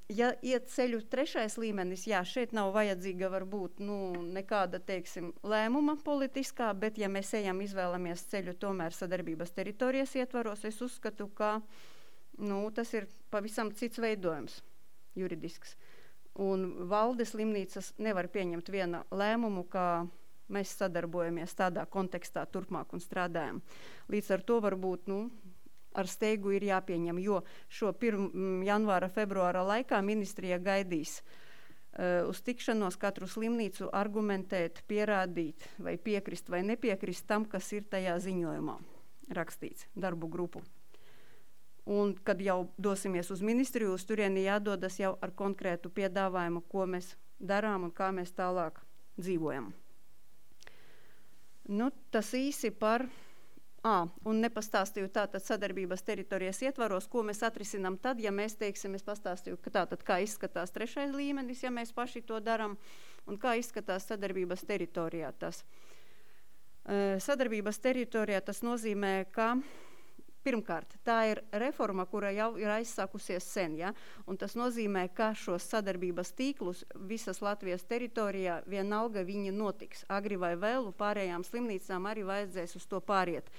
Ja iet ceļu 3. līmenis, jā, šeit nav vajadzīga varbūt nekāda, teiksim, lēmuma politiskā, bet ja mēs izvēlamies ceļu tomēr sadarbības teritorijas ietvaros, es uzskatu, ka tas ir pavisam cits veidojums juridisks. Un valdes slimnīcas nevar pieņemt viena lēmumu, kā mēs sadarbojamies tādā kontekstā turpmāk un strādājam. Līdz ar to varbūt, ar steigu ir jāpieņem, jo šo janvāra, februāra laikā ministrija gaidīs uz tikšanos katru slimnīcu argumentēt, pierādīt, vai piekrist vai nepiekrist tam, kas ir tajā ziņojumā rakstīts, darbu grupu. Un, kad jau dosimies uz ministriju, uz turieni jādodas jau ar konkrētu piedāvājumu, ko mēs darām un kā mēs tālāk dzīvojam. Tas īsi par... un nepastāstīju tātad sadarbības teritorijas ietvaros, ko mēs atrisinām tad, ja mēs, teiksim, es pastāstīju, ka tātad kā izskatās 3. līmenis, ja mēs paši to daram, un kā izskatās sadarbības teritorijā tas. Sadarbības teritorijā tas nozīmē, ka pirmkārt, tā ir reforma, kura jau ir aizsākusies sen, ja? Un tas nozīmē, ka šos sadarbības tīklus visas Latvijas teritorijā vienalga viņi notiks. Agri vai vēlu pārējām slimnīcām arī vajadzēs uz to pāriet.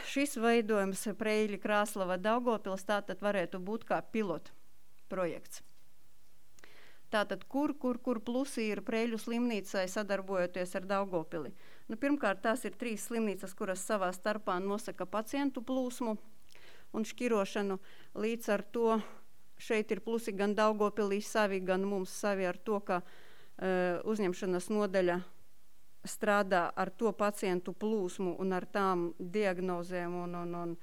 Šis veidojums Preļi, Krāslava, Daugavpils tātad varētu būt kā pilota projekts. Tātad, kur plusi ir Preļu slimnīcai sadarbojoties ar Daugavpili? Pirmkārt, tās ir 3 slimnīcas, kuras savā starpā nosaka pacientu plūsmu un šķirošanu. Līdz ar to šeit ir plusi gan Daugavpilī savi, gan mums savi ar to, ka uzņemšanas nodaļa strādā ar to pacientu plūsmu un ar tām diagnozēm, un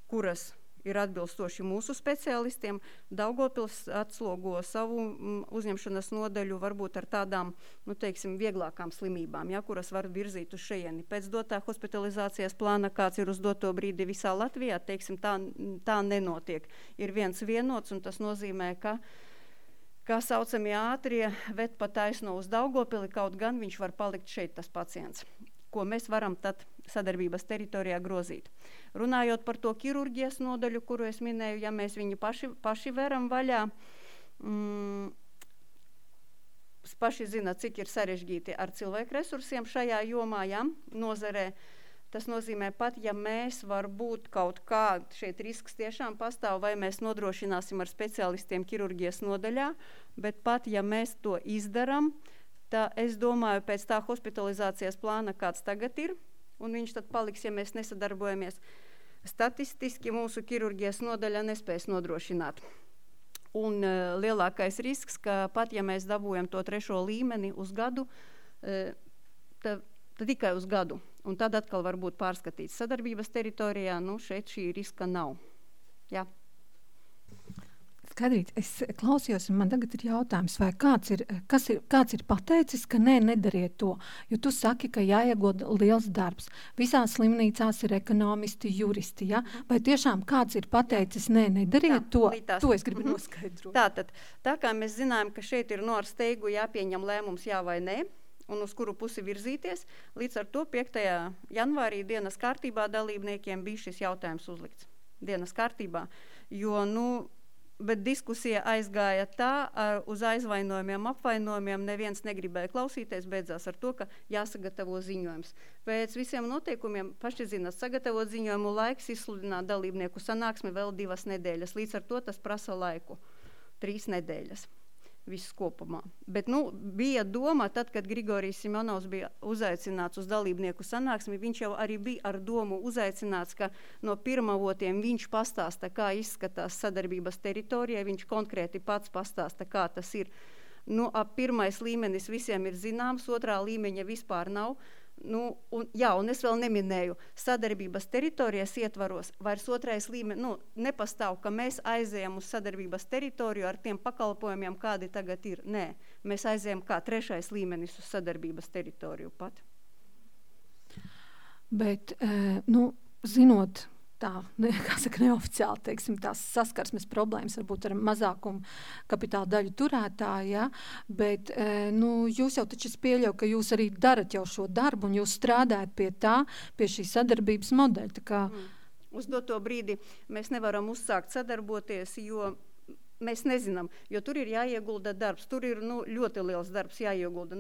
kuras ir atbilstoši mūsu speciālistiem. Daugavpils atslogo savu uzņemšanas nodaļu varbūt ar tādām, teiksim, vieglākām slimībām, ja, kuras var virzīt uz šejieni. Pēc dotā hospitalizācijas plāna, kāds ir uz doto brīdi visā Latvijā, teiksim, tā nenotiek. Ir viens vienots, un tas nozīmē, ka saucamie ātrie ved pa taisno uz Daugavpili, kaut gan viņš var palikt šeit tas pacients, ko mēs varam tad sadarbības teritorijā grozīt. Runājot par to ķirurģijas nodaļu, kuru es minēju, ja mēs viņu paši veram vaļā, paši zina, cik ir sarežģīti ar cilvēku resursiem šajā jomā, ja, nozarē. Tas nozīmē pat, ja mēs varbūt kaut kā, šeit risks tiešām pastāv, vai mēs nodrošināsim ar speciālistiem ķirurģijas nodaļā, bet pat, ja mēs to izdaram, tā, es domāju, pēc tā hospitalizācijas plāna, kāds tagad ir, un viņš tad paliks, ja mēs nesadarbojamies, statistiski mūsu ķirurģijas nodaļa nespēs nodrošināt. Un lielākais risks, ka pat, ja mēs dabūjam to 3. līmeni uz gadu, tad tikai uz gadu, un tad atkal var būt pārskatīts sadarbības teritorijā, šeit šī riska nav. Jā. Skaidrīt, es klausījos, un man tagad ir jautājums, vai kāds ir pateicis, ka nedariet to, jo tu saki, ka jāiegūda liels darbs. Visās slimnīcās ir ekonomisti, juristi, ja? Vai tiešām kāds ir pateicis, nedariet to? To es gribu noskaidrot. Tātad, tā kā mēs zinājam, ka šeit ir ar steigu jāpieņem lēmums jā vai nē, un uz kuru pusi virzīties, līdz ar to 5. janvārī dienas kārtībā dalībniekiem bija šis jautājums uzlikts. Dienas kārtībā, jo, bet diskusija aizgāja tā, uz aizvainojumiem, apvainojumiem, neviens negribēja klausīties, beidzās ar to, ka jāsagatavo ziņojums. Pēc visiem noteikumiem, paši zināt, sagatavot ziņojumu laiks, izsludināt dalībnieku sanāksmi vēl 2 nedēļas, līdz ar to tas prasa laiku, 3 nedēļas. Viss kopumā. Bet, bija doma, tad, kad Grigorijs Simonovs bija uzaicināts uz dalībnieku sanāksmi, viņš jau arī bija ar domu uzaicināts, ka no pirmavotiem viņš pastāsta, kā izskatās sadarbības teritorija, viņš konkrēti pats pastāsta, kā tas ir. Ap 1. līmenis visiem ir zināms, 2. līmeņa vispār nav. Un es vēl neminēju, sadarbības teritorijas ietvaros vairs 2. līmenis, nepastāv, ka mēs aizējam uz sadarbības teritoriju ar tiem pakalpojumiem, kādi tagad ir. Nē, mēs aizējam kā 3. līmenis uz sadarbības teritoriju pat. Bet, zinot tā, kā saka, neoficiāli, teiksim, tās saskarsmes problēmas varbūt ar mazākumu kapitāla daļu turētāju, ja? Bet, jūs jau taču pieļauju, ka jūs arī darat jau šo darbu un jūs strādājat pie šī sadarbības modeļa. Tā kā... Uz doto brīdi mēs nevaram uzsākt sadarboties, jo mēs nezinām, jo tur ir jāiegulda darbs, tur ir ļoti liels darbs jāiegulda.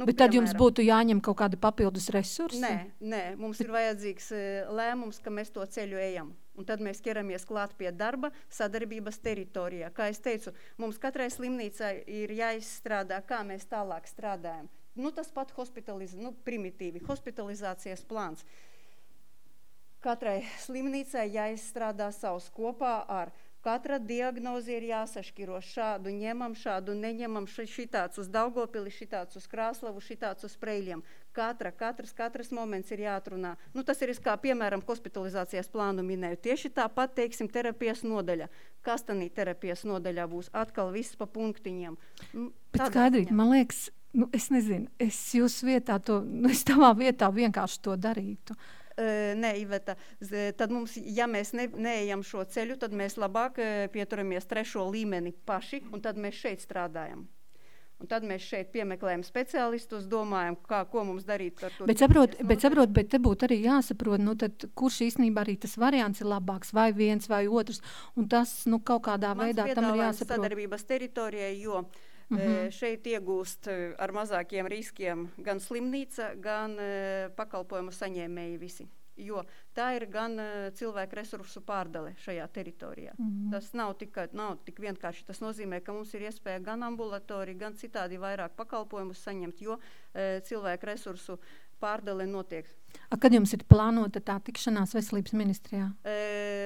Bet tad jums būtu jāņem kaut kāda papildus resursi? Nē, mums ir vajadzīgs lēmums, ka mēs to ceļu ejam. Un tad mēs ķeramies klāt pie darba sadarbības teritorijā. Kā es teicu, mums katrai slimnīcai ir jāizstrādā, kā mēs tālāk strādājam. Tas pat primitīvi, hospitalizācijas plāns. Katrai slimnīcai jāizstrādā savs kopā ar katra diagnoze ir jāsašķiro, šādu ņemam, šādu neņemam, šitāds uz Daugavpili, šitāds uz Krāslavu, šitāds uz Preiļiem. Katrs moments ir jāatrunā. Tas ir, kā piemēram, hospitalizācijas plānu minēju. Tieši tāpat, teiksim, terapijas nodaļa. Kas tanī terapijas nodaļā būs? Atkal viss pa punktiņiem. Bet skaidrīt, man liekas, es nezinu, es jūsu vietā es tavā vietā vienkārši to darītu. Nē, Iveta, tad mums, ja mēs neejam šo ceļu, tad mēs labāk pieturamies 3. līmeni paši, un tad mēs šeit strādājam. Un tad mēs šeit piemeklējam speciālistus, domājam, ko mums darīt ar to. Bet te būtu arī jāsaprot, tad kurš īstenībā arī tas variants ir labāks, vai viens vai otrs, un tas, kaut kādā veidā tam ir jāsaprot. Sadarbības teritorijai, jo šeit iegūst ar mazākiem riskiem gan slimnīca, gan pakalpojumu saņēmēji visi. Jo tā ir gan cilvēku resursu pārdale šajā teritorijā. Tas nav tik vienkārši. Tas nozīmē, ka mums ir iespēja gan ambulatoriju, gan citādi vairāk pakalpojumus saņemt, jo cilvēku resursu pārdale notiek. Kad jums ir plānota tā tikšanās veselības ministrijā?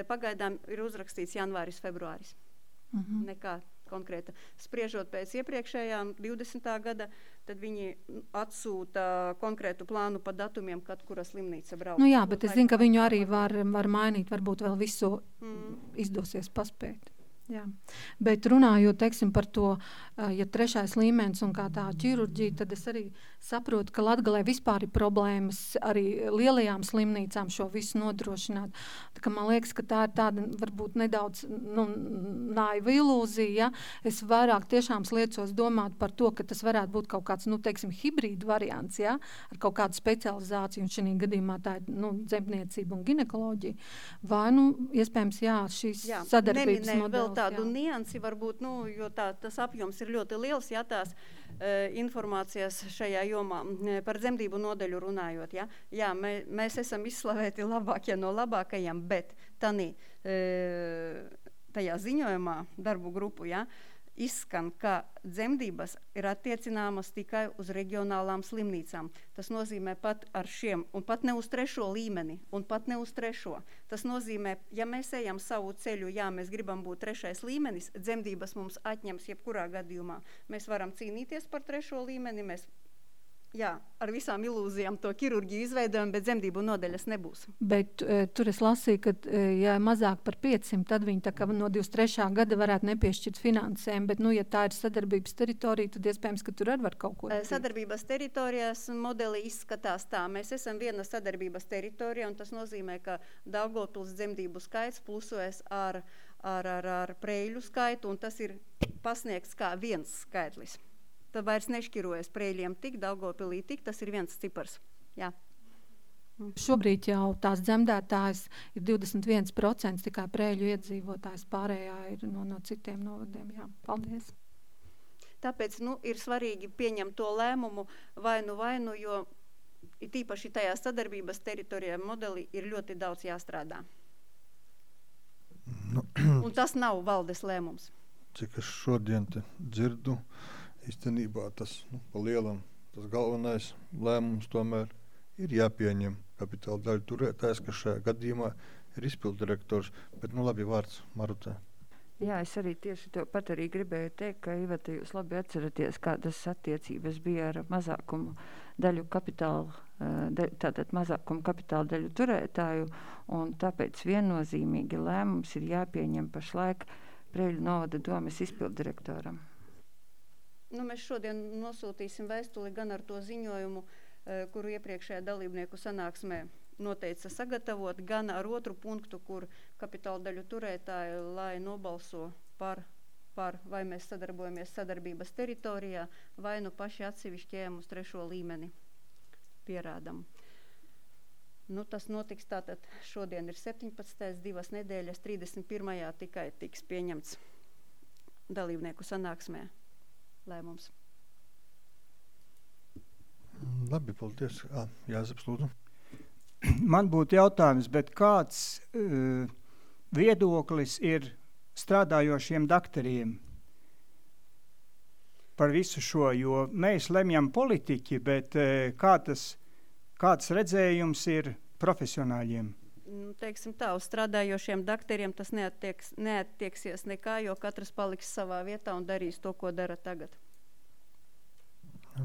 Pagaidām ir uzrakstīts janvāris, februāris. Nekā konkrēta. Spriežot pēc iepriekšējām 20. gada, tad viņi atsūta konkrētu plānu pa datumiem, kad kura slimnīca brauc. Jā, bet es zinu, ka viņu arī var mainīt, varbūt vēl visu izdosies paspēt. Jā. Bet runājot, teiksim, par to, ja 3. līmenis un kā tā ķirurģija, tad es arī saprotu, ka Latgalē vispār ir problēmas arī lielajām slimnīcām šo visu nodrošināt. Tā kā man liekas, ka tā ir tāda varbūt nedaudz naiva ilūzija. Ja? Es vairāk tiešām sliecos domāt par to, ka tas varētu būt kaut kāds, teiksim, hibrīdu variants, ja? Ar kaut kādu specializāciju, un šī gadījumā tā ir dzemdniecība un ginekoloģija. Vai, iespējams, šīs sadarbības modelis. Tādu niansi varbūt, jo tas apjoms ir ļoti liels, tās informācijas šajā jomā par dzemdību nodaļu runājot. Jā, mēs esam izslavēti labākie no labākajiem, bet tajā ziņojumā darbu grupu, izskan, ka dzemdības ir attiecināmas tikai uz reģionālām slimnīcām. Tas nozīmē pat ar šiem, un pat ne uz 3. līmeni, un pat ne uz 3. Tas nozīmē, ja mēs ejam savu ceļu, mēs gribam būt 3. līmenis, dzemdības mums atņems jebkurā gadījumā. Mēs varam cīnīties par 3. līmeni, mēs Jā, ar visām ilūzijām to ķirurģiju izveidojam, bet dzemdību nodaļas nebūs. Bet tur es lasīju, ka ja mazāk par 500, tad viņi tā kā no 23. gada varētu nepiešķirt finansēm, bet, ja tā ir sadarbības teritorija, tad iespējams, ka tur arī var kaut ko darīt. Sadarbības teritorijās modeli izskatās tā. Mēs esam viena sadarbības teritorija, un tas nozīmē, ka Daugavpils dzemdību skaits plusojas ar Preiļu skaitu, un tas ir pasniegts kā viens skaitlis. Tad vairs nešķirojas Preiļiem tik, Daugavpilī tik, tas ir viens cipars. Jā. Šobrīd jau tās dzemdētājs ir 21%, tikai Preiļu iedzīvotājs, pārējā ir no citiem novadiem. Jā. Paldies. Tāpēc ir svarīgi pieņemt to lēmumu vainu, jo tīpaši tajā sadarbības teritorijā modelī ir ļoti daudz jāstrādā. Un tas nav valdes lēmums. Cik es šodien te dzirdu, īstenībā tas pa lielam, tas galvenais lēmums tomēr ir jāpieņem kapitāla daļu turētājs, kas šajā gadījumā ir izpilddirektors, bet labi vārds Marutē. Jā, es arī tieši to pat arī gribēju teikt, ka Iveta, jūs labi atceraties, kādas attiecības bija ar mazākumu daļu kapitāla, tātad mazākumu kapitāla daļu turētāju, un tāpēc viennozīmīgi lēmums ir jāpieņem pašlaik Preiļu novada domes izpilddirektoram. Mēs šodien nosūtīsim vēstuli gan ar to ziņojumu, kuru iepriekšējā dalībnieku sanāksmē noteica sagatavot, gan ar otru punktu, kur kapitāla daļu turētāji, lai nobalso par vai mēs sadarbojamies sadarbības teritorijā, vai paši atsevišķi ejam uz 3. līmeni pierādam. Tas notiks tātad šodien ir 17. 2 nedēļas, 31. tikai tiks pieņemts dalībnieku sanāksmē lēmums. Labi, paldies. Jāzeps, lūdzu. Man būtu jautājums, bet kāds viedoklis ir strādājošiem daktariem par visu šo, jo mēs lemjam politiķi, bet kāds redzējums ir profesionāļiem? Teiksim tā, uz strādājošiem daktariem tas neattieksies nekā, jo katrs paliks savā vietā un darīs to, ko dara tagad.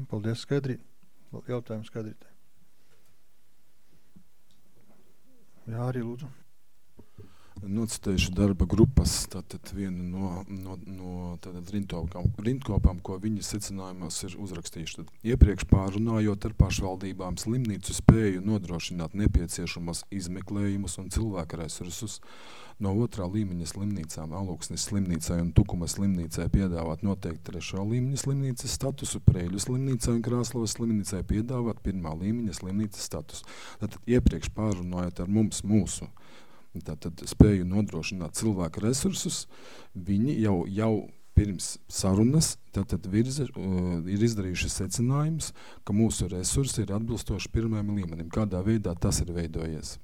Paldies, Skaidrīt. Jautājums Skaidrītē. Jā, arī lūdzu. Nocitējuši darba grupas, tātad viena no rindkopām, ko viņi secinājumos ir uzrakstījuši. Tad iepriekš pārunājot ar pašvaldībām slimnīcu spēju nodrošināt nepieciešamos izmeklējumus un cilvēku resursus, no 2. līmeņa slimnīcām Alūksnes slimnīcai un Tukuma slimnīcai piedāvāt noteikti 3. līmeņa slimnīcas statusu, Preiļu slimnīcai un Krāslavas slimnīcai piedāvāt 1. līmeņa slimnīcas statusu. Tātad iepriekš pārunājot ar mūsu tātad spēju nodrošināt cilvēku resursus, viņi jau pirms sarunas tātad ir izdarījuši secinājumus, ka mūsu resursi ir atbilstoši 1. līmenim. Kādā veidā tas ir veidojies?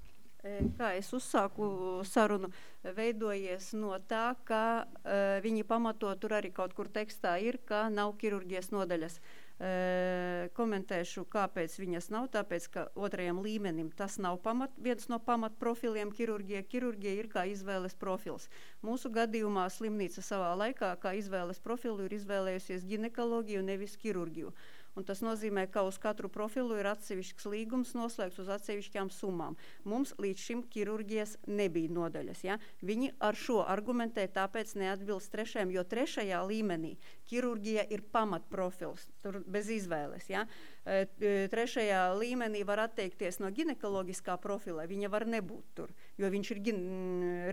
Kā es uzsāku sarunu, veidojies no tā, ka viņi pamato, tur arī kaut kur tekstā ir, ka nav ķirurģijas nodaļas. Komentēšu, kāpēc viņas nav, tāpēc, ka 2. līmenim tas nav viens no pamatprofiliem ķirurģija. Ķirurģija ir kā izvēles profils. Mūsu gadījumā slimnīca savā laikā kā izvēles profilu ir izvēlējusies ginekoloģiju, nevis ķirurģiju. Un tas nozīmē, ka uz katru profilu ir atsevišķs līgums noslēgts uz atsevišķām summām. Mums līdz šim ķirurģijas nebija nodaļas. Ja? Viņi ar šo argumentē, tāpēc neatbilst 3. jo 3. līmenī ķirurģija ir pamatprofils, tur bez izvēles. Ja? 3. līmenī var atteikties no ginekoloģiskā profila, viņa var nebūt tur, jo viņš ir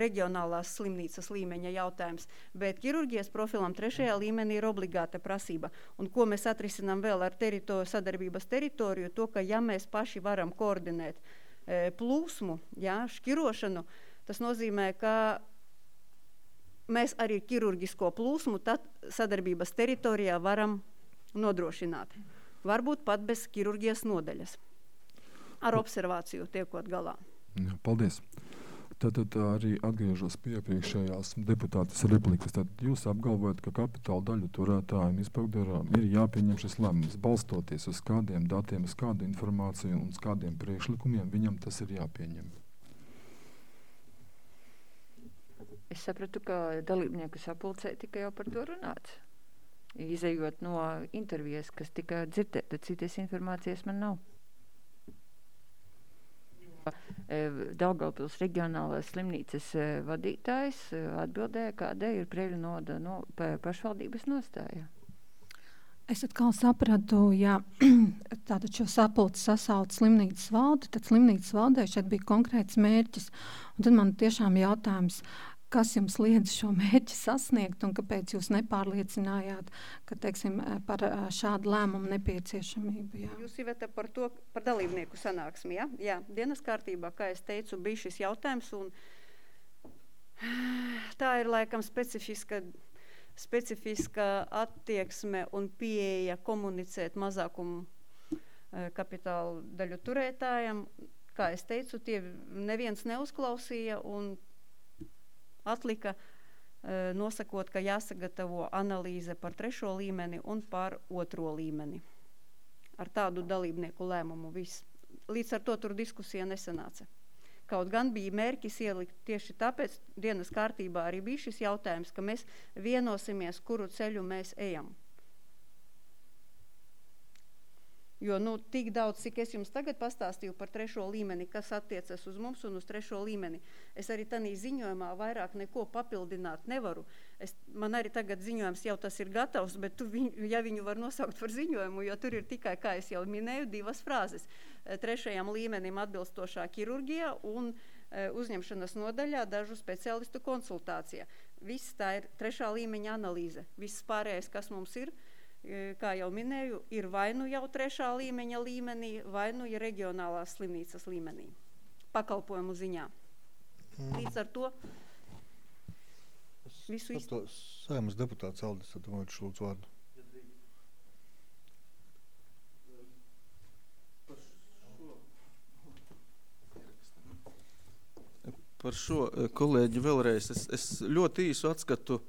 reģionālās slimnīcas līmeņa jautājums. Bet ķirurģijas profilam 3. līmenī ir obligāta prasība. Un ko mēs atrisinām vēl ar sadarbības teritoriju, to, ka ja mēs paši varam koordinēt plūsmu, šķirošanu, tas nozīmē, ka mēs arī ķirurģisko plūsmu tad sadarbības teritorijā varam nodrošināt. Varbūt pat bez ķirurģijas nodaļas. Ar observāciju tiekot galā. Jā, paldies. Tad arī atgriežos pie iepriekšējās deputātes replikas. Tad jūs apgalvojat, ka kapitāla daļu turētājiem izpilddarām ir jāpieņem šis lēmums, balstoties uz kādiem datiem, uz kādu informāciju un uz kādiem priekšlikumiem viņam tas ir jāpieņem. Es sapratu, ka dalībnieku sapulcē tika jau par to runāts. izejot no intervijas, kas tika dzirdēta, citas informācijas man nav. Daugavpils reģionālās slimnīcas vadītājs atbildēja, kāda ir Preiļu novada pašvaldības nostāja. Es atkal sapratu, ja tātad šo sapulci sasauc slimnīcas valdi, tad slimnīcas valdē šeit bija konkrēts mērķis. Un tad man tiešām jautājums, kas jums liedz šo mērķi sasniegt un kāpēc jūs nepārliecinājāt, ka, teiksim, par šādu lēmumu nepieciešamību? Jā. Jūs Iveta par dalībnieku sanāksmi, ja? Jā, dienas kārtībā, kā es teicu, bija šis jautājums, un tā ir laikam specifiska attieksme un pieeja komunicēt mazākumu kapitālu daļu turētājiem. Kā es teicu, tie neviens neuzklausīja un atlika nosakot, ka jāsagatavo analīze par 3. līmeni un par 2. līmeni. Ar tādu dalībnieku lēmumu viss. Līdz ar to tur diskusija nesanāca. Kaut gan bija mērķis ielikt tieši tāpēc dienas kārtībā arī bija šis jautājums, ka mēs vienosimies, kuru ceļu mēs ejam. Jo tik daudz, cik es jums tagad pastāstīju par 3. līmeni, kas attiecas uz mums un uz 3. līmeni, es arī tanī ziņojumā vairāk neko papildināt nevaru. Man arī tagad ziņojums jau tas ir gatavs, bet ja viņu var nosaukt par ziņojumu, jo tur ir tikai, kā es jau minēju, 2 frāzes. 3. līmenim atbilstošā ķirurģija un uzņemšanas nodaļā dažu speciālistu konsultācija. Viss tā ir 3. līmeņa analīze. Viss pārējais, kas mums ir, kā jau minēju, ir vai nu jau 3. līmeņa līmenī, vai nu ir reģionālās slimnīcas līmenī, pakalpojumu ziņā. Līdz ar to visu Saeimas deputāts Aldis Adamovičs lūdzu vārdu. Par šo, kolēģi, vēlreiz. Es ļoti īsu atskatu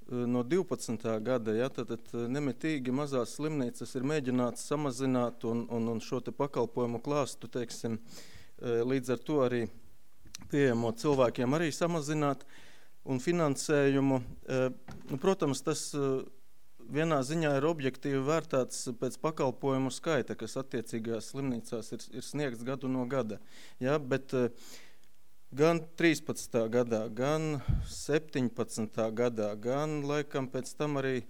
no 12. gada, ja, tad nemitīgi mazās slimnīcas ir mēģināts samazināt un šo te pakalpojumu klāstu, teiksim, līdz ar to arī pieejamo cilvēkiem arī samazināt un finansējumu. Protams, tas vienā ziņā ir objektīvi vērtāts pēc pakalpojumu skaita, kas attiecīgajās slimnīcās ir sniegts gadu no gada. Ja, bet gan 13. gadā, gan 17. gadā, gan laikam pēc tam arī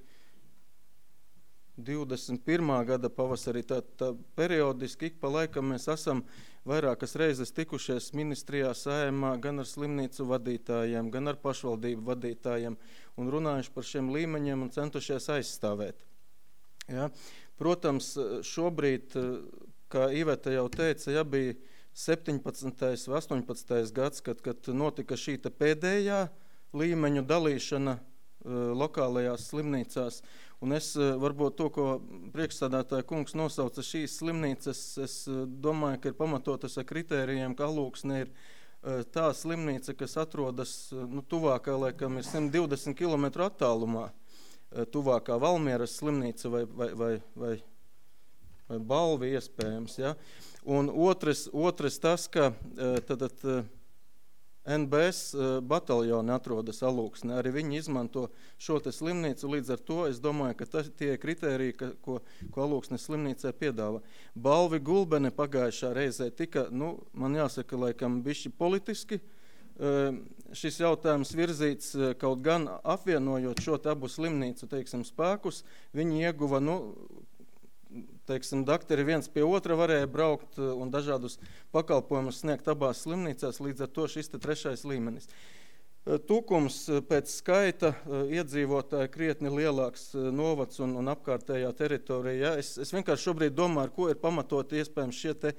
21. gada pavasarī, tā periodiski ik pa laikam mēs esam vairākas reizes tikušies ministrijā, Saeimā, gan ar slimnīcu vadītājiem, gan ar pašvaldību vadītājiem un runājuši par šiem līmeņiem un centušies aizstāvēt. Ja? Protams, šobrīd, kā Iveta jau teica, ja bija 17. vai 18. gads, kad notika šī pēdējā līmeņu dalīšana lokālajās slimnīcās. Un es varbūt to, ko priekšsādātāja kungs nosauca šīs slimnīcas, es domāju, ka ir pamatotas ar kritērijiem, ka Alūksne ir tā slimnīca, kas atrodas tuvākā, laikam, ir 120 km attālumā, tuvākā Valmieras slimnīca vai Balvi iespējams. Ja? Un otrs tas, ka NBS bataljoni atrodas Alūksnē, arī viņi izmanto šo te slimnīcu, līdz ar to es domāju, ka tie kritēriji, ko Alūksnes slimnīcē piedāvā. Balvi Gulbene pagājušā reizē tika, man jāsaka, laikam bišķi politiski, šis jautājums virzīts, kaut gan apvienojot šo abu slimnīcu, teiksim, spēkus, viņi ieguva, teiksim, dakteri viens pie otra varēja braukt un dažādus pakalpojumus sniegt abās slimnīcās, līdz ar to šis 3. līmenis. Tukums pēc skaita iedzīvotāji krietni lielāks novads un apkārtējā teritorija. Ja? Es vienkārši šobrīd domāju, ar ko ir pamatoti iespējams šie te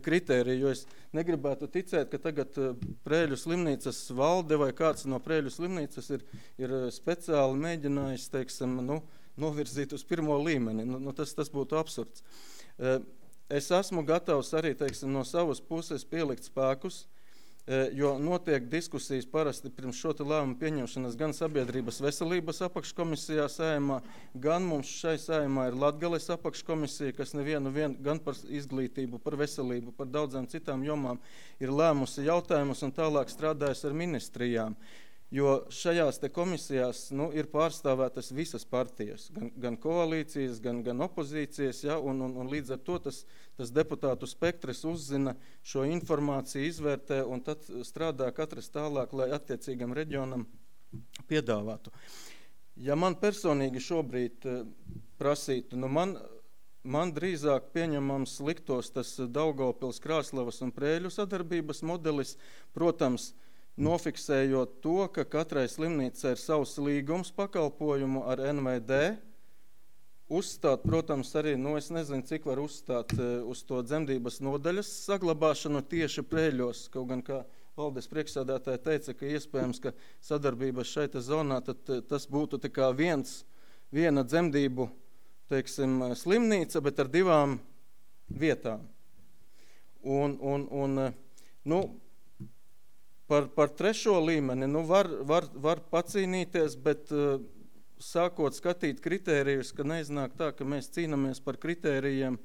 kritēriji, jo es negribētu ticēt, ka tagad Preiļu slimnīcas valde vai kāds no Preiļu slimnīcas ir speciāli mēģinājis, teiksim, novirzīt uz 1. līmeni. Tas būtu absurds. Es esmu gatavs arī, teiksim, no savas puses pielikt spēkus, jo notiek diskusijas parasti pirms šo te lēmumu pieņemšanas gan sabiedrības veselības apakškomisijā Saeimā, gan mums šai Saeimā ir Latgales apakškomisija, kas nevienu gan par izglītību, par veselību, par daudzām citām jomām ir lēmusi jautājumus un tālāk strādājas ar ministrijām. jo šajās te komisijās ir pārstāvētas visas partijas, gan koalīcijas, gan opozīcijas, ja, un līdz ar to tas deputātu spektrs uzzina šo informāciju, izvērtē un tad strādā katrs tālāk, lai attiecīgam reģionam piedāvātu. Ja man personīgi šobrīd prasītu, man drīzāk pieņemams liktos tas Daugavpils, Krāslavas un Prēļu sadarbības modelis, protams, nofiksējot to, ka katrai slimnīcai ir savs līgums pakalpojumu ar NVD, uzstāt, protams, arī, es nezinu, cik var uzstāt uz to dzemdības nodaļas saglabāšanu tieši Prēļos, kaut gan kā valdes priekšsēdētāja teica, ka iespējams, ka sadarbības šaita zonā, tad tas būtu tā kā viena dzemdību, teiksim, slimnīca, bet ar 2 vietām. Par 3. līmeni, var pacīnīties, bet sākot skatīt kritērijus, ka neiznāk tā, ka mēs cīnamies par kritērijiem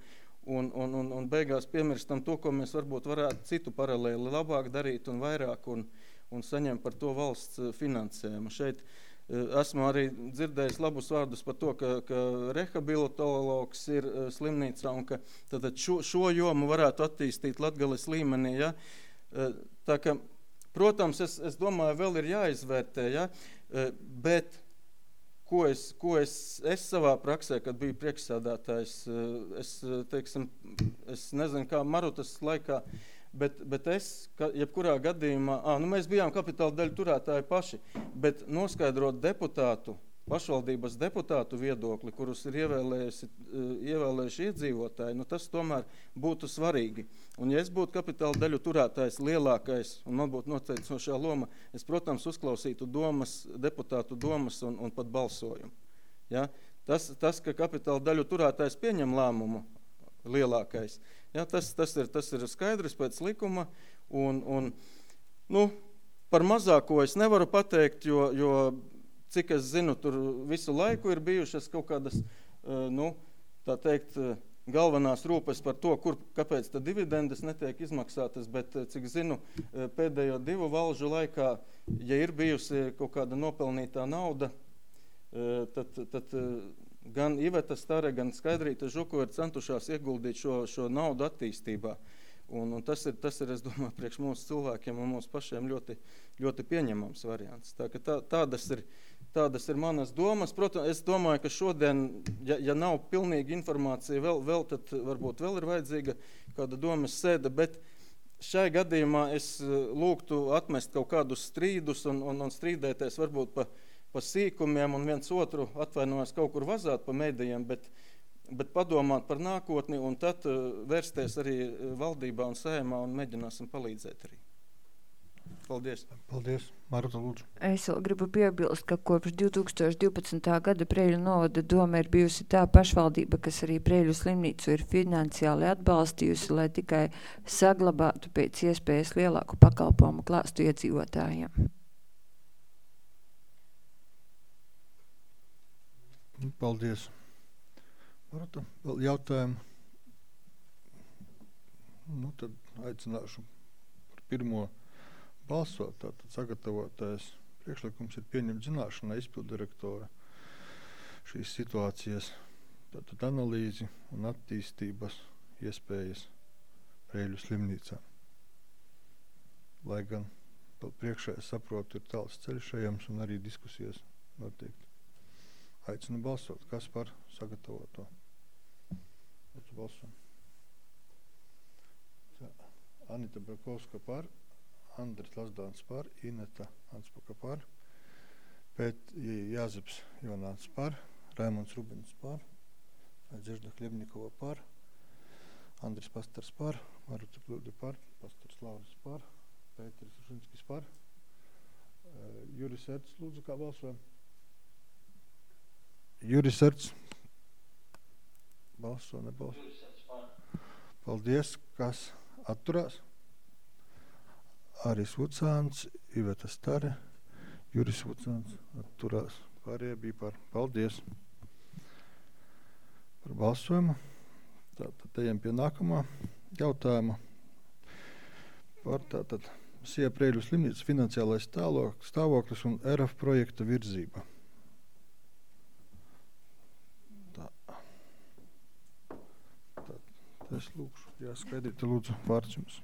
un beigās piemirstam to, ko mēs varbūt varētu citu paralēli labāk darīt un vairāk un saņemt par to valsts finansējumu. Šeit esmu arī dzirdējis labus vārdus par to, ka rehabilitologs ir slimnīcā un ka tad šo jomu varētu attīstīt Latgales līmenī. Ja? Tā ka, protams, es domāju, vēl ir jāizvērtē, ja? Bet ko es savā praksē, kad biju priekšsēdētājs, es nezinu, kā Marutas laikā, bet es, jebkurā gadījumā, mēs bijām kapitāla daļu turētāji paši, bet noskaidrot pašvaldības deputātu viedokli, kurus ir ievēlējuši iedzīvotāji, tas tomēr būtu svarīgi. Un ja es būtu kapitāla daļu turētājs lielākais, un man būtu noteicošā loma, es, protams, uzklausītu deputātu domas un pat balsojumu. Ja? Tas, ka kapitāla daļu turētājs pieņem lēmumu lielākais, ja? Tas ir skaidrs pēc likuma, un par mazāko es nevaru pateikt, jo cik es zinu, tur visu laiku ir bijušas kaut kādas, tā teikt, galvenās rūpes par to, kāpēc tad dividendes netiek izmaksātas, bet cik zinu, pēdējo 2 valžu laikā, ja ir bijusi kaut kāda nopelnītā nauda, tad gan Iveta Stare, gan Skaidrīta Žuko ir centušās ieguldīt šo naudu attīstībā. Un tas ir, es domāju, priekš mūsu cilvēkiem un mūsu pašiem ļoti, ļoti pieņemams variants. Tā, ka tādas ir manas domas. Protams, es domāju, ka šodien, ja nav pilnīga informācija, vēl tad varbūt vēl ir vajadzīga kāda domas sēde, bet šai gadījumā es lūgtu atmest kaut kādus strīdus un strīdēties varbūt pa sīkumiem un viens otru atvainojas kaut kur vazāt pa medijiem, bet padomāt par nākotni un tad vērsties arī valdībā un saimā un mēģināsim palīdzēt arī. Paldies. Paldies. Maruta, lūdzu. Es vēl gribu piebilst, ka kopš 2012. gada Prēļu novada doma ir bijusi tā pašvaldība, kas arī Prēļu slimnīcu ir finansiāli atbalstījusi, lai tikai saglabātu pēc iespējas lielāku pakalpojumu klāstu iedzīvotājiem. Paldies. Maruta, vēl jautājumu? Tad aicināšu par pirmo balsot. Tātad sagatavotais priekšlikums ir pieņemt zināšanā izpildirektora šīs situācijas, tātad analīzi un attīstības iespējas Prēļu slimnīcā. Lai gan vēl priekšā, es saprotu, ir tāls ceļš ejams un arī diskusijas noteikti. Aicinu balsot. Kas par sagatavoto? Lūdzu balsot. Anita Brakovska par, Andris Lazdāns par, Ineta Anspaka par, Jāzeps Ivāns par, Raimonds Rubins par, Dzežda Hļebnikova par, Andris Pastars par, Maruta Kļūde par, Pastars Lauris par, Pēteris Rušinskis par, Juris Erts, lūdzu, kā balsojam? Juris Erts. Balso, nebalso. Paldies. Kas atturās? Aris Vucāns, Iveta Stare, Juris Vucāns atturās. Pārējie bija par. Paldies par balsojumu. Tātad ejam pie nākamā jautājuma par tātad Sija Preļu slimnīcas finansiālais stāvoklis un RF projekta virzība. Es lūkšu, jāskaidrīt, lūdzu, vārds jums.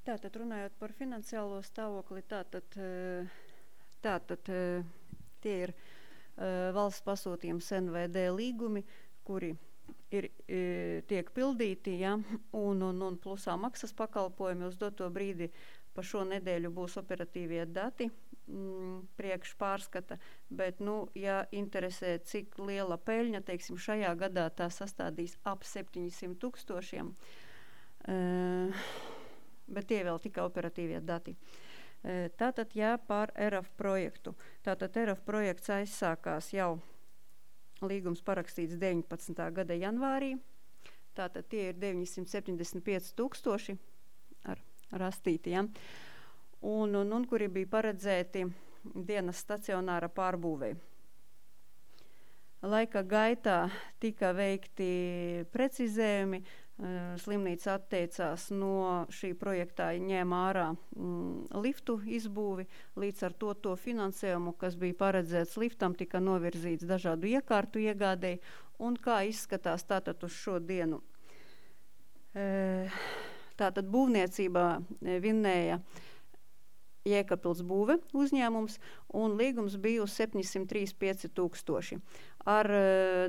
Tātad runājot par finansiālo stāvokli, tātad tie ir valsts pasūtījums NVD līgumi, kuri tiek pildīti, ja, un plusā maksas pakalpojumi uz doto brīdi. Pa šo nedēļu būs operatīvie dati priekš pārskata, bet, ja interesē, cik liela peļņa, teiksim, šajā gadā tā sastādīs ap 700 000, bet tie vēl tikai operatīvie dati. Tātad, par RF projektu. Tātad RF projekts aizsākās jau līgums parakstīts 19. gada janvārī. Tātad tie ir 975 000 ar rastīti, ja? Un kuri bija paredzēti dienas stacionāra pārbūvei. Laika gaitā tika veikti precizējumi, slimnīca atteicās no šī projektā, ņēma ārā liftu izbūvi, līdz ar to finansējumu, kas bija paredzēts liftam, tika novirzīts dažādu iekārtu iegādēji, un kā izskatās tātad uz šo dienu. Tātad būvniecībā vinnēja Jēkabpils būve uzņēmums, un līgums bija uz 735 000. Ar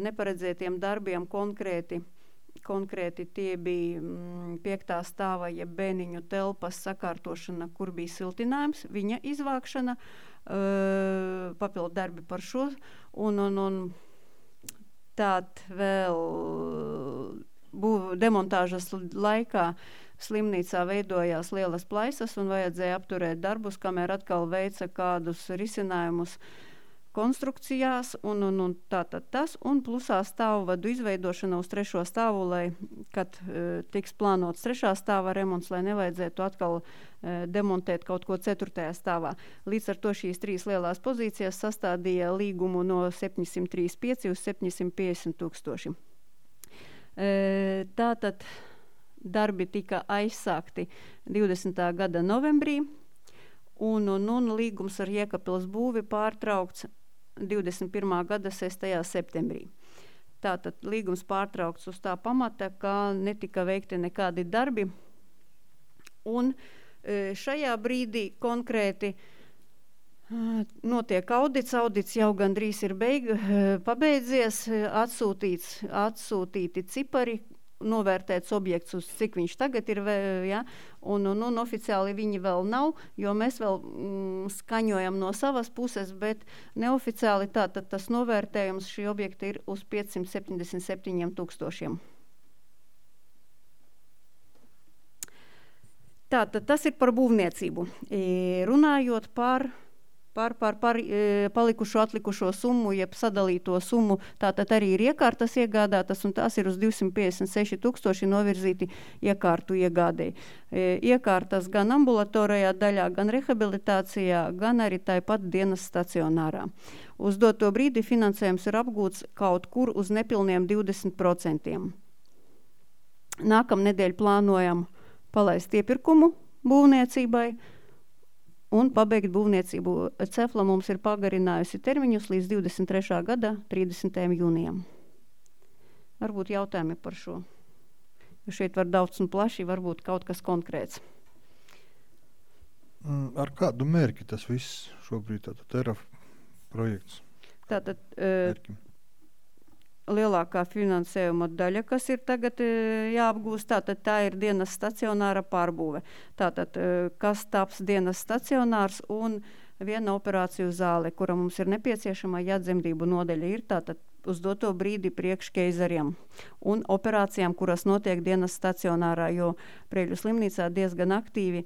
neparedzētiem darbiem konkrēti tie bija 5. stāva, jeb bēniņu telpas sakārtošana, kur bija siltinājums, viņa izvākšana, papildu darbi par šo, un tād vēl demontāžas laikā slimnīcā veidojās lielas plaisas un vajadzēja apturēt darbus, kamēr atkal veica kādus risinājumus konstrukcijās, un tātad tas, un plusā stāvvadu izveidošana uz 3. stāvu, lai, kad tiks plānots 3. stāva remonts, lai nevajadzētu atkal demontēt kaut ko 4. stāvā. Līdz ar to šīs 3 lielās pozīcijas sastādīja līgumu no 735 uz 750 000. Tātad darbi tika aizsākti 20. gada novembrī, un līgums ar Jēkabpils būvi pārtraukts 21. gada 6. septembrī. Tātad līgums pārtraukts uz tā pamata, ka netika veikti nekādi darbi, un šajā brīdī konkrēti notiek audits jau gandrīz ir pabeidzies, atsūtīti cipari, novērtēts objekts, uz cik viņš tagad ir, ja, un oficiāli viņi vēl nav, jo mēs vēl skaņojam no savas puses, bet neoficiāli tātad tas novērtējums šī objekta ir uz 577 000. Tātad tas ir par būvniecību. Runājot par palikušo atlikušo summu, jeb sadalīto summu, tātad arī ir iekārtas iegādātas, un tās ir uz 256 000 novirzīti iekārtu iegādēji. Iekārtas gan ambulatorijā daļā, gan rehabilitācijā, gan arī tāpat dienas stacionārā. Uz doto brīdi finansējums ir apgūts kaut kur uz nepilniem 20%. Nākamnedēļ plānojam palaist iepirkumu būvniecībai, un pabeigt būvniecību. Cefla mums ir pagarinājusi termiņus līdz 23. gada 30. jūnijam. Varbūt jautājumi par šo. Jo šeit var daudz un plaši, varbūt kaut kas konkrēts. Ar kādu mērķi tas viss šobrīd, tātad RF projekts? Tātad lielākā finansējuma daļa, kas ir tagad jāapgūst, tātad tā ir dienas stacionāra pārbūve. Tātad, kas taps dienas stacionārs un viena operāciju zāle, kura mums ir nepieciešama, ja dzemdību nodaļa ir, tātad uz doto brīdi priekš keizariem un operācijām, kuras notiek dienas stacionārā, jo Preļu slimnīcā diezgan aktīvi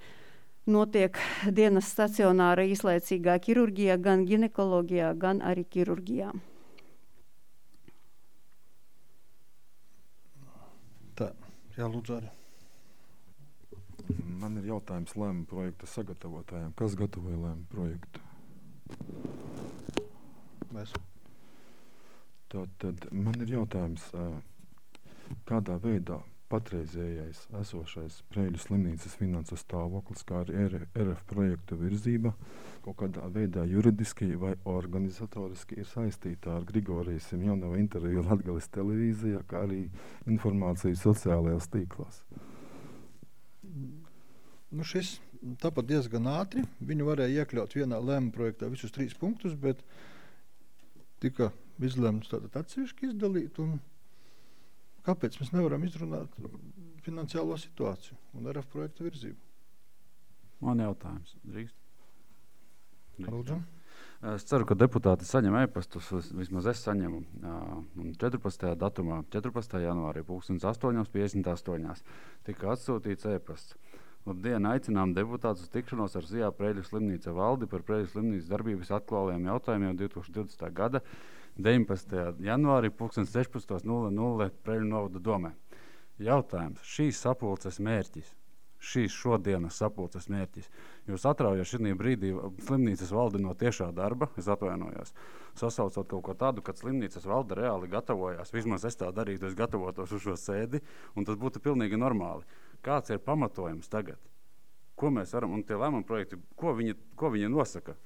notiek dienas stacionāra īslaicīgā ķirurģijā, gan ginekoloģijā, gan arī ķirurģijā. Tā, jā, lūdzu arī. Man ir jautājums lēmuma projekta sagatavotājiem. Kas gatavoja lēmuma projektu? Mēs. Tad man ir jautājums, kādā veidā patreizējais esošais Preiļu slimnīcas finanses stāvoklis, kā arī RF projektu virzība kaut kādā veidā juridiski vai organizatoriski ir saistīta ar Grigorijas Simjonova interviju Latgales televīzijā, kā arī informāciju sociālajās tīklās? Nu šis tāpat diezgan ātri. Viņu varēja iekļaut vienā lēmuma projektā visus 3 punktus, bet tika izlemts tātad atsevišķi izdalīt. Un kāpēc mēs nevaram izrunāt finansiālo situāciju un RF projektu virzību? Man jautājums. Drīkst? Lūdzu. Es ceru, ka deputāti saņem e-pastus, vismaz es saņemu. 14. datumā, 14. janvārī, 8:58 tika atsūtīts e-pasts. Labdien, aicinām deputātus uz tikšanos ar Zijā Preiļu slimnīca valdi par Preiļu slimnīcas darbības aktuālajiem jautājumiem 2020. gada 19. janvārī 16:00 Preiļu novada domē. Jautājums. Šīs sapulces mērķis. Šīs šodienas sapulces mērķis. Jūs atraujat šī brīdī slimnīcas valdi no tiešā darba, es atvainojos, sasaucot kaut ko tādu, kad slimnīcas valde reāli gatavojās, vismaz es tā darītu, es gatavotos uz šo sēdi, un tas būtu pilnīgi normāli. Kāds ir pamatojums tagad? Ko mēs varam, un tie lēmuma projekti, ko viņi nosaka?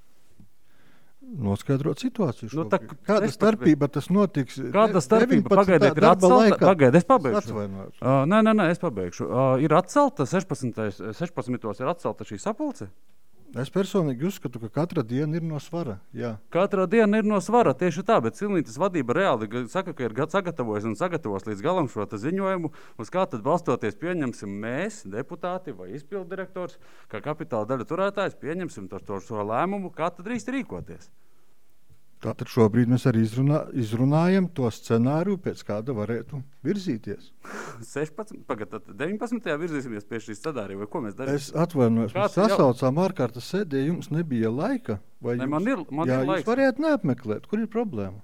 Noskaidrot situāciju. Nu, kāda starpība tas notiks? Kāda starpība? Pagaidiet, ir atcelta. Pagaidiet, es pabeigšu. Nē, es pabeigšu. Ir atcelta, 16. ir atcelta šī sapulce? Es personīgi uzskatu, ka katra diena ir no svara. Jā. Katra diena ir no svara, tieši tā, bet slimnīcas vadība reāli saka, ka ir sagatavojis un sagatavos līdz galam šo ziņojumu, uz kā tad balstoties pieņemsim mēs, deputāti vai izpilddirektors, kā kapitāla daļa turētājs, pieņemsim šo lēmumu, kā tad drīkst rīkoties. Tātad šobrīd mēs arī izrunājam to scenāriju, pēc kāda varētu virzīties. 19. virzīsimies pie šīs scenārija, vai ko mēs darīsim? Es atvainojos, mēs sasaucām ārkārtas sēdē, jums nebija laika, vai man ir laiks. Jūs varētu neapmeklēt, kur ir problēma?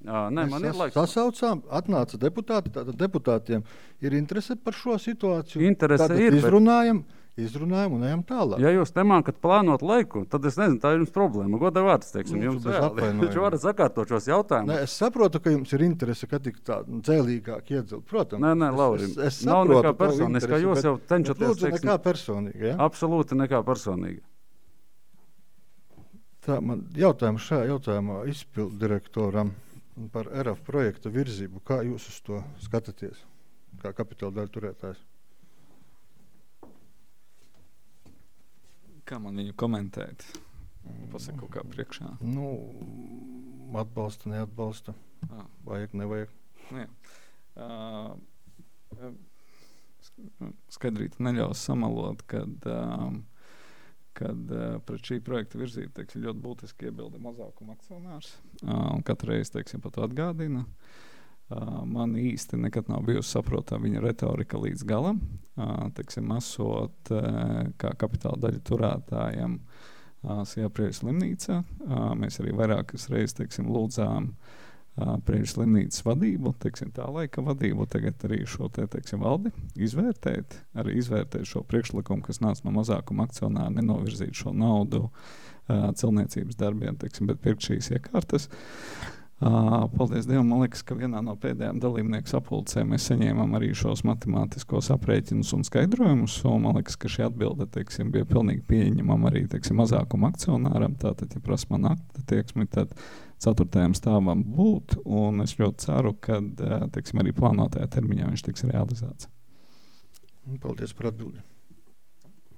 Man ir laiks. Sasaucām, atnāca deputāti, tātad deputātiem ir interese par šo situāciju. Interese ir, Izrunājam un ejam tālāk. Ja jūs nemākat plānot laiku, tad es nezinu, tā ir jums problēma. Godā vārds, teiksim, jums taču varat sakārtot šos jautājumus. Nē, es saprotu, ka jums ir interese, ka tik tā dzēlīgāk iedzelt. Protams. Nē, Laurim, es nav saprotu nekā personiskā, jūs jau cenšaties. Lūdzu, nekā personīga, ja? Absolūti nekā personīga. Tā man šajā jautājumā izpilddirektoram par RF projekta virzību. Kā jūs uz to skatāties, kā kapitāla daļa turētājs? Kā man viņu komentēt? Pasaka kaut kā priekšā. Atbalsta, neatbalsta. Vajag, nevajag. Skaidrīt neļaus samalot, kad pret šī projekta virzību, teiksim, ļoti būtiski iebilda mazākuma akcionārs. Un katreiz, teiksim, pat atgādina. Man īsti nekad nav bijusi saprotama viņa retorika līdz galam. Teiksim, esot kā kapitāla daļa turētājiem Zijā Preiļu slimnīcā. Mēs arī vairākas reizes, teiksim, lūdzām Preiļu slimnīcas vadību, teiksim, tā laika vadību, tagad arī šo teiksim, valdi izvērtēt, arī izvērtēt šo priekšlikumu, kas nāca no mazākuma akcionāra, nenovirzīt šo naudu celtniecības darbiem, teiksim, bet pirkt šīs iekārtas. Paldies Dievam, man liekas, ka vienā no pēdējām dalībnieku sapulcēm mēs saņēmām arī šos matemātiskos aprēķinus un skaidrojumus, un man liekas, ka šī atbilde, teiksim, bija pilnīgi pieņemama arī, teiksim, mazākuma akcionāram, tātad, ja prasa man akta tieksmi, tad 4. stāvam būt, un es ļoti ceru, ka, teiksim, arī plānotajā termiņā viņš tiks realizēts. Paldies par atbildi.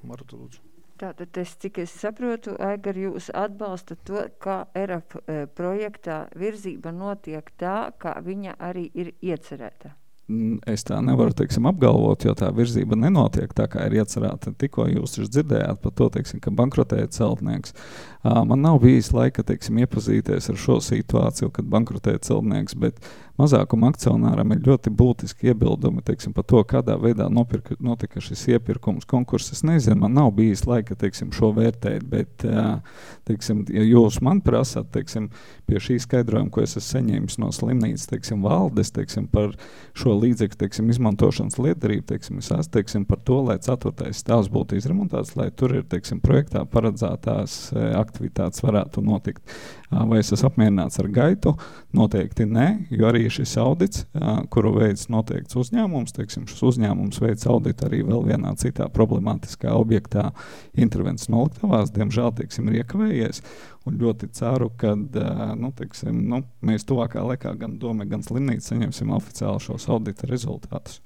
Marta, lūdzu. Tātad, cik es saprotu, Aigar, jūs atbalsta to, ka RF projektā virzība notiek tā, kā viņa arī ir iecerēta. Es tā nevaru, teiksim, apgalvot, jo tā virzība nenotiek tā, kā ir iecerēta. Tikko jūs dzirdējāt par to, teiksim, ka bankrotēja celtnieks. Man nav bijis laika, teiksim, iepazīties ar šo situāciju, kad bankrotēja celtnieks, bet mazākuma akcionāram ir ļoti būtiski iebildumi, teiksim, par to, kādā veidā notika šis iepirkums, konkurss. Es nezinu, man nav bijis laika, teiksim, šo vērtēt, bet, teiksim, ja jūs man prasat, teiksim, pie šī skaidrojuma, ko es esmu saņēmis no slimnīcas, teiksim, valdes, teiksim, par šo līdzekļu, teiksim, izmantošanas lietderību, teiksim, es esmu, teiksim, par to, lai 4. stāvs būtu izremontēts, lai tur ir, teiksim, projektā paredzētās aktivitātes varētu notikt. Vai es esmu apmierināts ar gaitu? Noteikti ne, jo arī šis audits, kuru veids noteikts uzņēmums. Teiksim, šis uzņēmums veids auditu arī vēl vienā citā problemātiskā objektā intervences noliktavās. Diemžēl, teiksim, ir iekavējies. Un ļoti ceru, ka mēs tuvākā laikā gan doma, gan slimnīca saņemsim oficiāli šos audita rezultātus.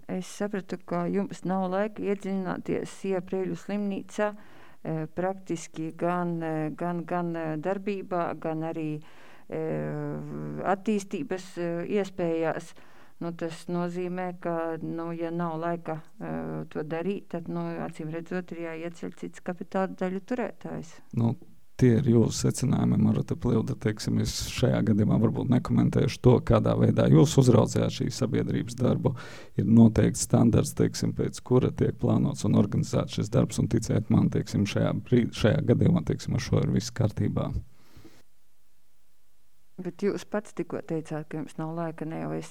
Es sapratu, ka jums nav laika iedziļināties Sija Preļu slimnīcā praktiski gan darbībā, gan arī attīstības iespējās. Tas nozīmē, ka, ja nav laika to darīt, tad, acīm redzot, ir jāieceļ cits kapitāla daļu turētājs. Tie ir jūsu secinājumi, Marta Pļilda. Teiksim, es šajā gadījumā varbūt nekomentēšu to, kādā veidā jūs uzraudzījāt šī sabiedrības darbu. Ir noteikts standarts, teiksim, pēc kura tiek plānots un organizēts šis darbs, un ticiet man, teiksim, šajā gadījumā, teiksim, ar šo ir viss kārtībā. Bet jūs pats tikko teicāt, ka jums nav laika, ne jau es.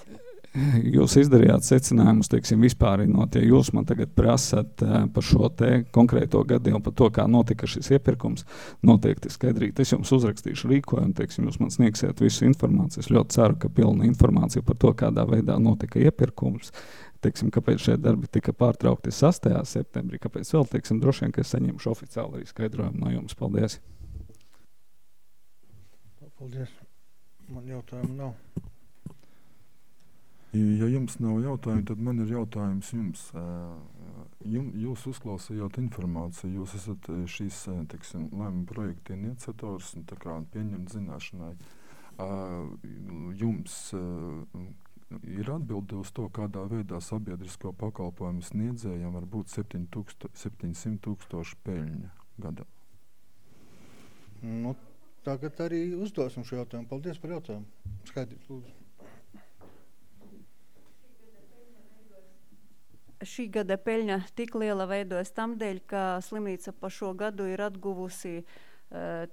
Jūs izdarījāt secinājumus, teiksim, vispārinot, ja jūs man tagad prasat par šo te konkrēto gadījumu, par to, kā notika šis iepirkums, noteikti skaidrīt. Es jums uzrakstīšu rīkojumu, teiksim, jūs man sniegsiet visu informāciju. Es ļoti ceru, ka pilna informācija par to, kādā veidā notika iepirkums, teiksim, kāpēc šie darbi tika pārtraukti 6. septembrī, kāpēc vēl, teiksim, droši vien, ka es saņemšu oficiāli arī skaidrojumu no jums. Paldies. Paldies. Man jautājumu nav. Ja jums nav jautājumu, tad man ir jautājums jums. Jūs uzklausījāt informāciju, jūs esat šīs lēmuma projekta iniciators un tā kā pieņemt zināšanai. Jums ir atbilde uz to, kādā veidā sabiedrisko pakalpojumu sniedzējiem var būt 700,000 peļņa gadā? Tagad arī uzdosim šo jautājumu. Paldies par jautājumu. Skaidrs, lūdzu. Šī gada peļņa tik liela veidojas tam dēļ, ka slimnīca pa šo gadu ir atguvusi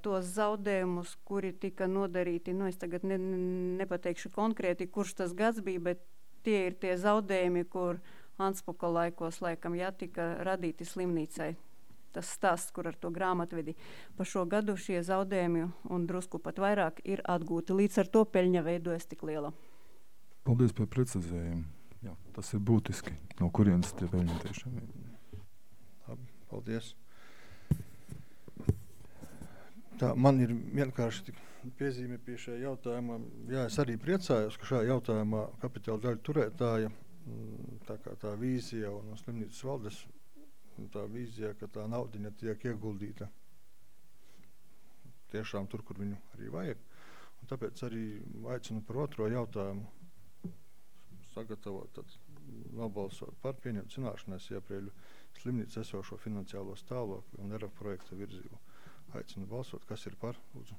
tos zaudējumus, kuri tika nodarīti. Es tagad nepateikšu konkrēti, kurš tas gads bija, bet tie ir tie zaudējumi, kur Anspuka laikos laikam tika radīti slimnīcai. Tas stāsts, kur ar to grāmatvedi pa šo gadu šie zaudējumi un drusku pat vairāk ir atgūti. Līdz ar to peļņa veidojas tik liela. Paldies par precizējumu. Jā, tas ir būtiski. No kurienes tie peļņa tiešām ir? Labi, paldies. Man ir vienkārši piezīme pie šajā jautājumā. Jā, es arī priecājos, ka šajā jautājumā kapitāla daļu turētāja, tā vīzija un slimnīcas valdes, tā vīzija, ka tā naudiņa tiek ieguldīta tiešām tur, kur viņu arī vajag. Un tāpēc arī aicinu par otro jautājumu sagatavot, tad nobalsot par pieņemt zināšanai Sija Preļu slimnīcas esošo finansiālo stāvokli un RF projekta virzību. Aicinu balsot, kas ir par, lūdzu.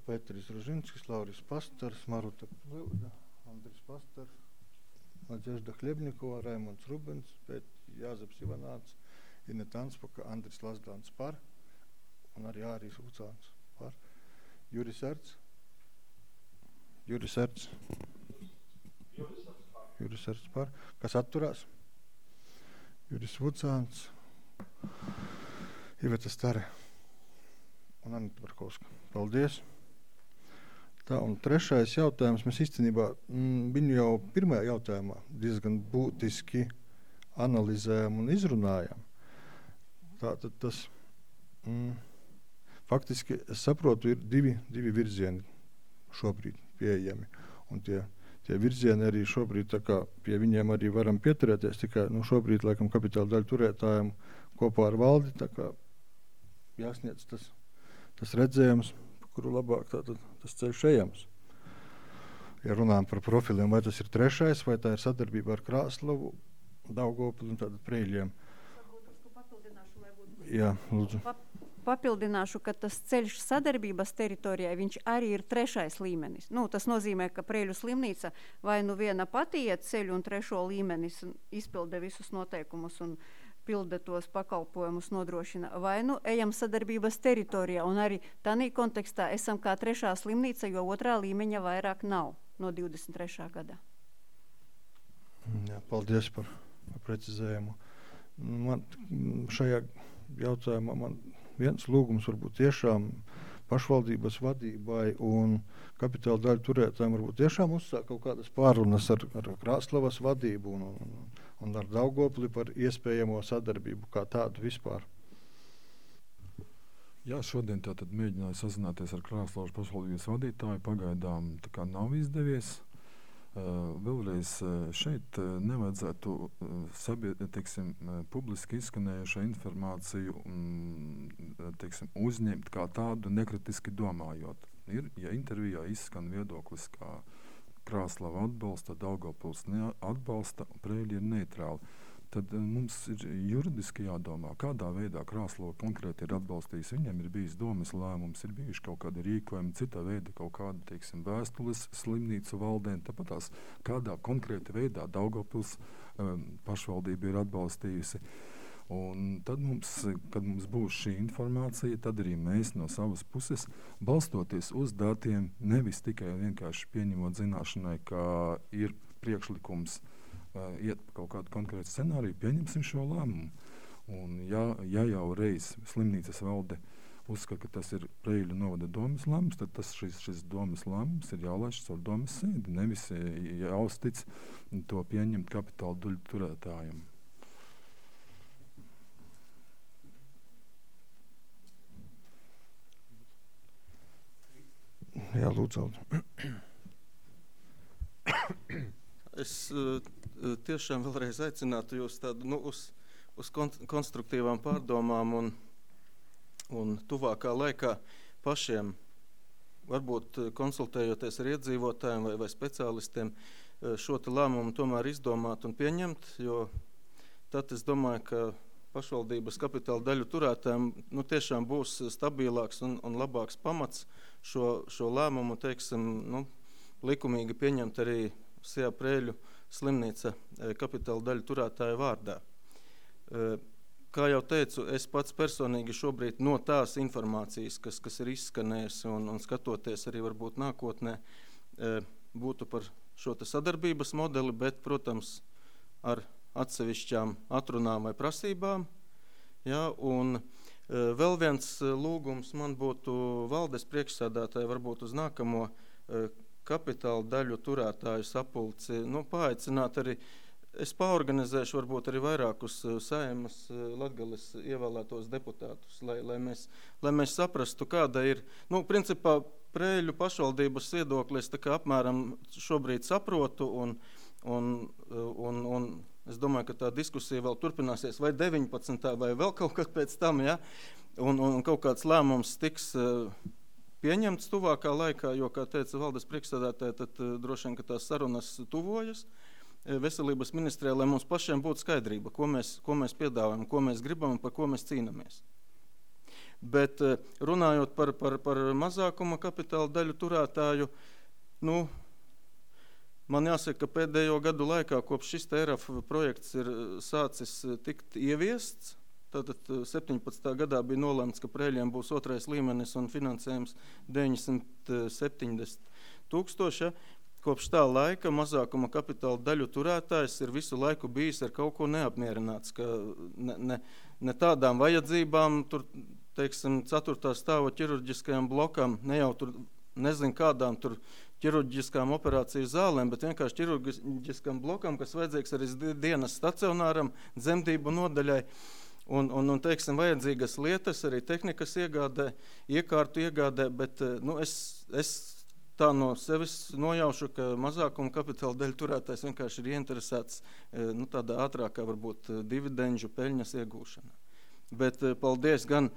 Pēteris Ružinskis, Lauris Pastars, Maruta Pļilda, Andris Pastars, Nadežda Hļebnikova, Raimonds Rubens, Jāzeps Ivanāts, Ineta Anspuka, Andris Lazdāns par un arī Ārijs Ucāns par. Juris Erts. Juris Erts par. Kas atturās? Juris Ucāns, Iveta Stare un Anita Barkovska. Paldies. Tā, un trešais jautājums. Mēs īstenībā viņu jau pirmajā jautājumā diezgan būtiski analizējam un izrunājam. Tātad tas faktiski, es saprotu, ir divi virzieni šobrīd pieejami. Un tie virzieni arī šobrīd, tā kā pie viņiem arī varam pieturēties, tikai šobrīd, laikam, kapitāla daļu turētājiem kopā ar valdi, tā kā jāsniedz tas redzējums, kuru labāk tātad tas ceļš ejams. Ja runājam par profiliem, vai tas ir trešais, vai tā ir sadarbība ar Krāslavu, Daugavpili un tātad Preļiem. Jā, lūdzu. Papildināšu, ka tas ceļš sadarbības teritorijai, viņš arī ir trešais līmenis. Tas nozīmē, ka Preļu slimnīca vai viena pati iet ceļu un trešo līmenis izpilda visus noteikumus un pilda tos pakalpojumus, nodrošina, vai ejam sadarbības teritorijā. Un arī tādā kontekstā esam kā trešā slimnīca, jo otrā līmeņa vairāk nav no 23. gadā. Jā, paldies par precizējumu. Man šajā jautājumā viens lūgums varbūt tiešām pašvaldības vadībai un kapitāla daļu turētājiem varbūt tiešām uzsāk kaut kādas pārunas ar Krāslavas vadību un ar Daugavpili par iespējamo sadarbību kā tādu vispār. Jā, šodien tātad mēģināju sazināties ar Krāslavas pašvaldības vadītāju, pagaidām tā kā nav izdevies. Vēlreiz šeit nevajadzētu publiski izskanējušo informāciju uzņemt kā tādu nekritiski domājot. Ja intervijā izskan viedoklis, kā Krāslava atbalsta, Daugavpils neatbalsta, Preiļi ir neitrāli, tad mums ir juridiski jādomā, kādā veidā Krāslava konkrēti ir atbalstījis. Viņam ir bijis domas lēmums, ir bijuši kaut kādi rīkojumi, cita veida kaut kāda, vēstules slimnīcu valdēm, tāpat tās kādā konkrēti veidā Daugavpils pašvaldība ir atbalstījusi. Un tad kad mums būs šī informācija, tad arī mēs no savas puses, balstoties uz datiem, nevis tikai vienkārši pieņemot zināšanai, ka ir priekšlikums iet pa kaut kādu konkrētu scenāriju, pieņemsim šo lēmumu. Un ja jau reiz slimnīcas valde uzskata, ka tas ir Preiļu novada domas lēmums, tad šis domas lēmums ir jālaiž caur domas sēdi, nevis jāuztic to pieņemt kapitāla daļu turētājiem. Jā, lūdzu. Es tiešām vēlreiz aicinātu jūs tādu, uz konstruktīvām pārdomām un tuvākā laikā pašiem, varbūt konsultējoties ar iedzīvotājiem vai speciālistiem, šo te lēmumu tomēr izdomāt un pieņemt, jo tad es domāju, ka pašvaldības kapitāla daļu turētājiem tiešām būs stabilāks un labāks pamats šo lēmumu, likumīgi pieņemt arī Sijā Preiļu slimnīca kapitāla daļu turētāju vārdā. Kā jau teicu, es pats personīgi šobrīd no tās informācijas, kas ir izskanējusi un skatoties arī varbūt nākotnē, būtu par šo te sadarbības modeli, bet, protams, ar atsevišķām atrunām vai prasībām. Ja, un vēl viens lūgums man būtu valdes priekšsēdētāji varbūt uz nākamo kapitāla daļu turētāju sapulci, paaicināt arī, es paorganizēšu varbūt arī vairākus Saeimas Latgales ievēlētos deputātus, lai mēs saprastu, kāda ir, principā Preiļu pašvaldības viedoklis, tā kā apmēram šobrīd saprotu un es domāju, ka tā diskusija vēl turpināsies vai 19. vai vēl kaut kad pēc tam, ja, un kaut kāds lēmums tiks pieņemts tuvākā laikā, jo, kā teica valdes priekšsēdētāji, tad droši vien, ka tās sarunas tuvojas veselības ministrijā, lai mums pašiem būtu skaidrība, ko mēs piedāvājam, ko mēs gribam un par ko mēs cīnamies. Bet runājot par mazākuma kapitāla daļu turētāju, man jāsaka, ka pēdējo gadu laikā, kopš šis ERAF projekts ir sācis tikt ieviests, tātad 17. gadā bija nolēmts, ka Preiļiem būs 2. līmenis un finansējums 970 000. Kopš tā laika mazākuma kapitāla daļu turētājs ir visu laiku bijis ar kaut ko neapmierināts, ka ne tādām vajadzībām, tur, 4. stāva ķirurģiskajam blokam, ne jau tur, nezinu kādām tur ķirurģiskām operāciju zālēm, bet vienkārši ķirurģiskam blokam, kas vajadzīgs arī dienas stacionāram, dzemdību nodaļai. Un vajadzīgas lietas, arī tehnikas iegādē, iekārtu iegādē, bet es tā no sevis nojaušu, ka mazākuma kapitāla daļu turētājs vienkārši ir ieinteresēts tādā ātrākā varbūt dividendžu peļņas iegūšanā. Bet paldies gan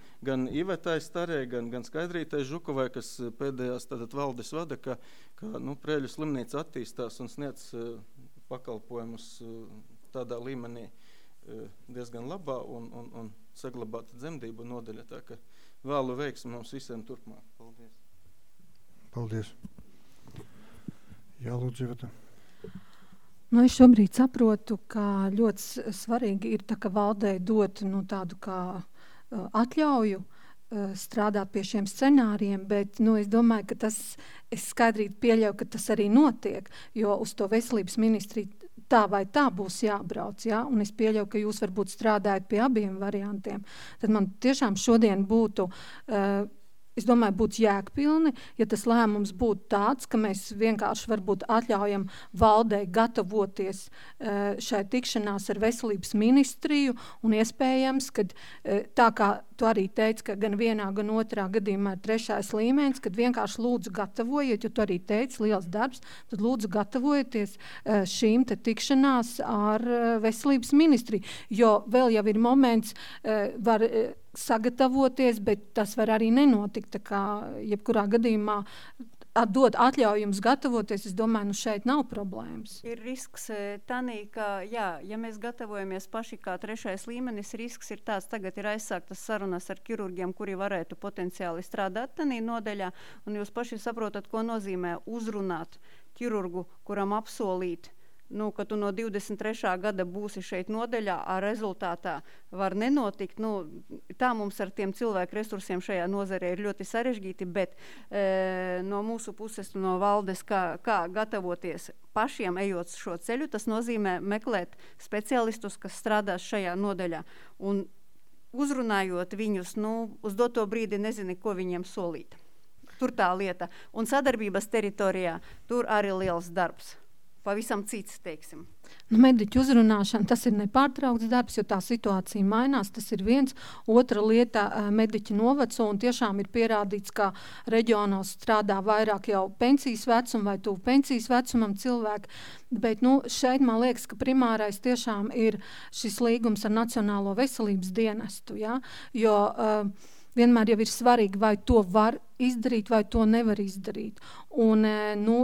Ivetai Starē, gan Skaidrītai Žukovai, kas pēdējās valdes vada, ka Preiļu slimnīca attīstās un sniedz pakalpojumus tādā līmenī diezgan labā un saglabāta dzemdību nodaļa. Tā ka vēlu veiksmi mums visiem turpmāk. Paldies. Paldies. Jā, lūdzu, Iveta. Es šobrīd saprotu, ka ļoti svarīgi ir tā, ka valdei dot tādu kā atļauju strādāt pie šiem scenārijiem, bet es domāju, ka es skaidrīgi pieļauju, ka tas arī notiek, jo uz to veselības ministriju tā vai tā būs jābrauc, ja? Un es pieļauju, ka jūs varbūt strādājat pie abiem variantiem. Tad man tiešām šodien būtu es domāju, būtu jēgpilni, ja tas lēmums būtu tāds, ka mēs vienkārši varbūt atļaujam valdei gatavoties šai tikšanās ar veselības ministriju un iespējams, kad tā kā tu arī teici, ka gan vienā, gan otrā gadījumā ir 3. līmenis, kad vienkārši lūdzu gatavojiet, jo tu arī teici, liels darbs, tad lūdzu gatavojieties šīm te tikšanās ar veselības ministriju, jo vēl jau ir moments, var sagatavoties, bet tas var arī nenotikt, tā kā jebkurā gadījumā dod atļauju jums gatavoties, es domāju, šeit nav problēmas. Ir risks tanī, ka, ja mēs gatavojamies paši kā 3. līmenis, risks ir tāds, tagad ir aizsāktas sarunas ar ķirurgiem, kuri varētu potenciāli strādāt tanī nodaļā, un jūs paši saprotat, ko nozīmē uzrunāt ķirurgu, kuram apsolīt, ka tu no 23. gada būsi šeit nodaļā, a rezultātā var nenotikt. Tā mums ar tiem cilvēku resursiem šajā nozarē ir ļoti sarežģīti, bet no mūsu puses, no valdes, kā gatavoties pašiem ejot šo ceļu, tas nozīmē meklēt speciālistus, kas strādās šajā nodaļā. Un uzrunājot viņus, uz doto brīdi nezini, ko viņiem solīt. Tur tā lieta. Un sadarbības teritorijā tur arī liels darbs. Pavisam cits, teiksim. Mediķu uzrunāšana, tas ir nepārtraukts darbs, jo tā situācija mainās, tas ir viens. Otra lieta, mediķi noveco, un tiešām ir pierādīts, ka reģionos strādā vairāk jau pensijas vecuma vai tuvu pensijas vecumam cilvēki, bet šeit man liekas, ka primārais tiešām ir šis līgums ar Nacionālo veselības dienestu, ja? Jo vienmēr jau ir svarīgi, vai to var izdarīt, vai to nevar izdarīt. Un,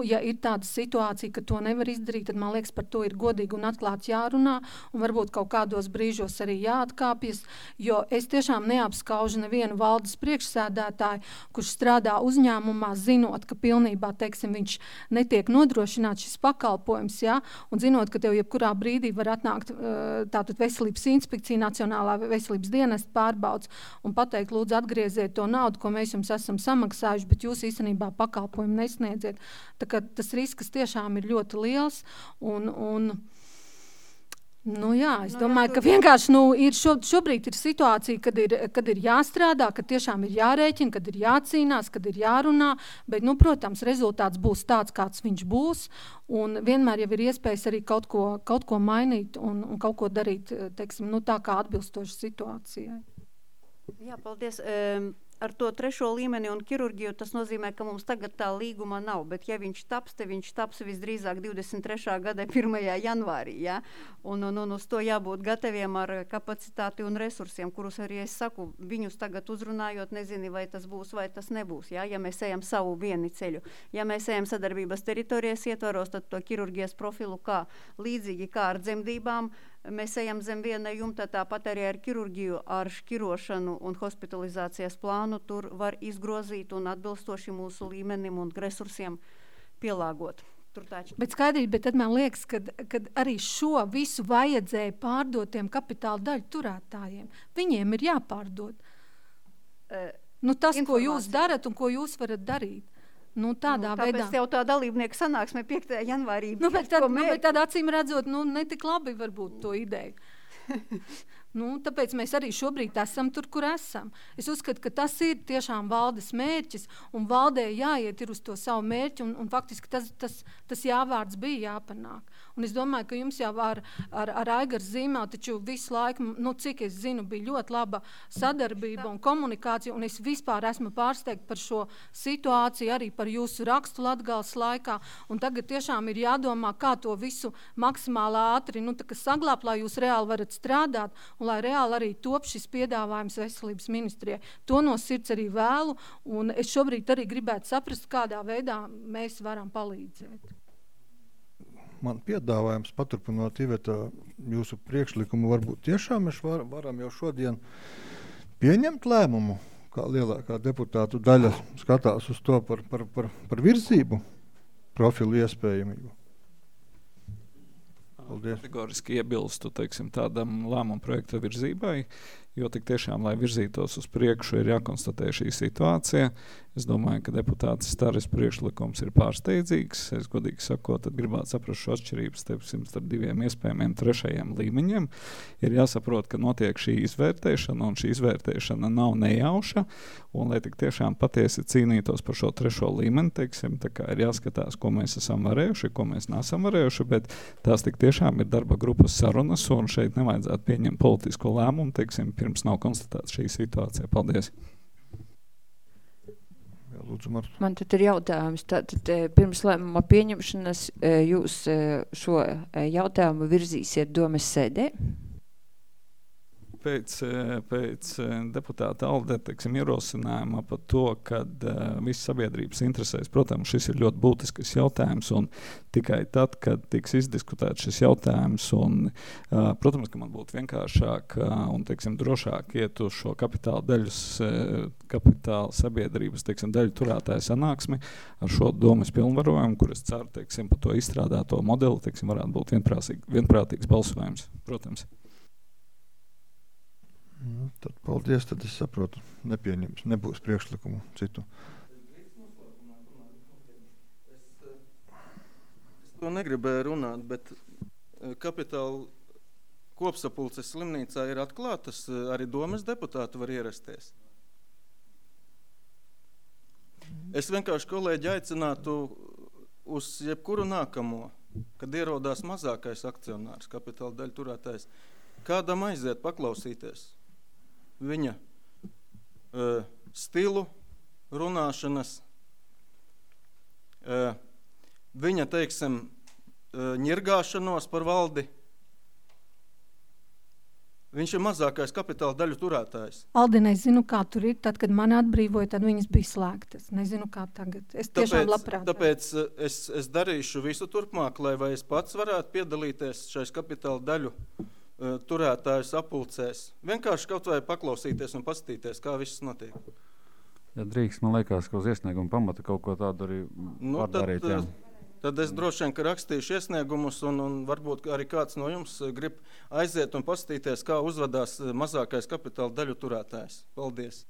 ja ir tāda situācija, ka to nevar izdarīt, tad, man liekas, par to ir godīgi un atklāti jārunā, un varbūt kaut kādos brīžos arī jāatkāpjas, jo es tiešām neapskaužu nevienu valdes priekšsēdētāju, kurš strādā uzņēmumā, zinot, ka pilnībā, teiksim, viņš netiek nodrošināts šis pakalpojums, ja, un zinot, ka tev jebkurā brīdī var atnākt tātad veselības inspekcija, Nacionālā veselības dienesta pārbauds, un pateikt, lūdzu, atgrieziet to naudu, ko mēs jums esam samaksājuši, bet jūs īstenībā pakalpojumu nesniedziet. Tā kā tas risks tiešām ir ļoti liels, un es domāju, ka vienkārši šobrīd ir situācija, kad ir jāstrādā, kad tiešām ir jārēķina, kad ir jācīnās, kad ir jārunā, bet, protams, rezultāts būs tāds, kāds viņš būs, un vienmēr jau ir iespējas arī kaut ko mainīt un kaut ko darīt, teiksim, tā kā atbilstoši situācijai. Jā, paldies. Ar to 3. līmeni un ķirurģiju tas nozīmē, ka mums tagad tā līguma nav, bet ja viņš taps, te viņš taps visdrīzāk 23. gada 1. janvārī, ja? Un uz to jābūt gataviem ar kapacitāti un resursiem, kurus arī es saku, viņus tagad uzrunājot, nezini, vai tas būs, vai tas nebūs, ja mēs ejam savu vieni ceļu. Ja mēs ejam sadarbības teritorijas ietvaros, tad to ķirurģijas profilu līdzīgi kā ar dzemdībām, mēs ejam zem viena jumta, tāpat arī ar ķirurģiju, ar šķirošanu un hospitalizācijas plānu tur var izgrozīt un atbilstoši mūsu līmenim un resursiem pielāgot. Bet skaidrība, bet tad man liekas, kad arī šo visu vajadzēja pārdot tiem kapitāla daļu turētājiem. Viņiem ir jāpārdod. Tas, ko jūs darat un ko jūs varat darīt. Tādā veidā. Tāpēc jau tā dalībnieku sanāksme 5. janvārī. Bet tad acīm redzot, netik labi varbūt to ideju. Tāpēc mēs arī šobrīd esam tur, kur esam. Es uzskatu, ka tas ir tiešām valdes mērķis, un valdē jāiet ir uz to savu mērķi, un faktiski tas jāvārds bija jāpanāk. Un es domāju, ka jums jau ar Aigaru Zīmeli, taču visu laiku, cik es zinu, bija ļoti laba sadarbība un komunikācija, un es vispār esmu pārsteigta par šo situāciju, arī par jūsu rakstu Latgales laikā, un tagad tiešām ir jādomā, kā to visu maksimāli ātri, saglābt, lai jūs reāli varat strādāt, un lai reāli arī top šis piedāvājums veselības ministrijai. To no sirds arī vēlu, un es šobrīd arī gribētu saprast, kādā veidā mēs varam palīdzēt. Man piedāvājums, paturpinot Iveta jūsu priekšlikumu, varbūt tiešām mēs varam jau šodien pieņemt lēmumu, kā lielākā deputātu daļa skatās uz to par virzību, profilu iespējamību. Kategoriski iebilstu, tādam lēmumu projekta virzībai, jo tik tiešām, lai virzītos uz priekšu, ir jākonstatē šī situācija. Es domāju, ka deputāts Staris priekšlikums ir pārsteidzīgs. Es godīgi sakot, tad gribētu saprast šo atšķirības starp diviem iespējamiem trešajiem līmeņiem. Ir jāsaprot, ka notiek šī izvērtēšana, un šī izvērtēšana nav nejauša, un lai tik tiešām patiesi cīnītos par šo trešo līmeni, teiksim, tā kā ir jāskatās, ko mēs esam varējuši, ko mēs nesam varējuši, bet tās tik tiešām ir darba grupas sarunas, un šeit nevajadzētu pieņemt politisko lēmumu, teiksim, pirms nav konstatēta šī situācija. Paldies! Lūdzu, Marta. Man tad ir jautājums. Tātad pirms lēmuma pieņemšanas jūs šo jautājumu virzīsiet domes sēdē? Pēc deputāta Alde, teiksim, ierosinājuma par to, ka viss sabiedrības interesēs, protams, šis ir ļoti būtisks jautājums, un tikai tad, kad tiks izdiskutēts šis jautājums, un, protams, ka man būtu vienkāršāk un, teiksim, drošāk iet uz šo kapitāla sabiedrības, teiksim, daļu turētāju sanāksmi ar šo domas pilnvarojumu, kur es ceru, teiksim, par to izstrādāto modeli, teiksim, varētu būt vienprātīgs balsojums, protams. Tad paldies, tad es saprotu, nebūs priekšlikumu citu. Es to negribēju runāt, bet kapitāla kopsapulces slimnīcā ir atklātas, arī domas deputāti var ierasties. Es vienkārši kolēģi aicinātu uz jebkuru nākamo, kad ierodās mazākais akcionārs, kapitāla daļu turētājs, kādam aiziet paklausīties viņa stilu, runāšanas, viņa, teiksim, ņirgāšanos par valdi. Viņš ir mazākais kapitāla daļu turētājs. Aldina, es zinu, kā tur ir. Tad, kad mani atbrīvoja, tad viņas bija slēgtas. Nezinu, kā tagad. Es tiešām labprāt. Tāpēc es darīšu visu turpmāk, lai vai es pats varētu piedalīties šais kapitāla daļu turētāju sapulcēs. Vienkārši kaut vai paklausīties un paskatīties, kā viss notiek. Ja drīkst, man liekas, ka uz iesniegumu pamata kaut ko tādu arī var darīt. Tad es droši vien, ka rakstīšu iesniegumus un varbūt arī kāds no jums grib aiziet un paskatīties, kā uzvedās mazākais kapitāla daļu turētājs. Paldies!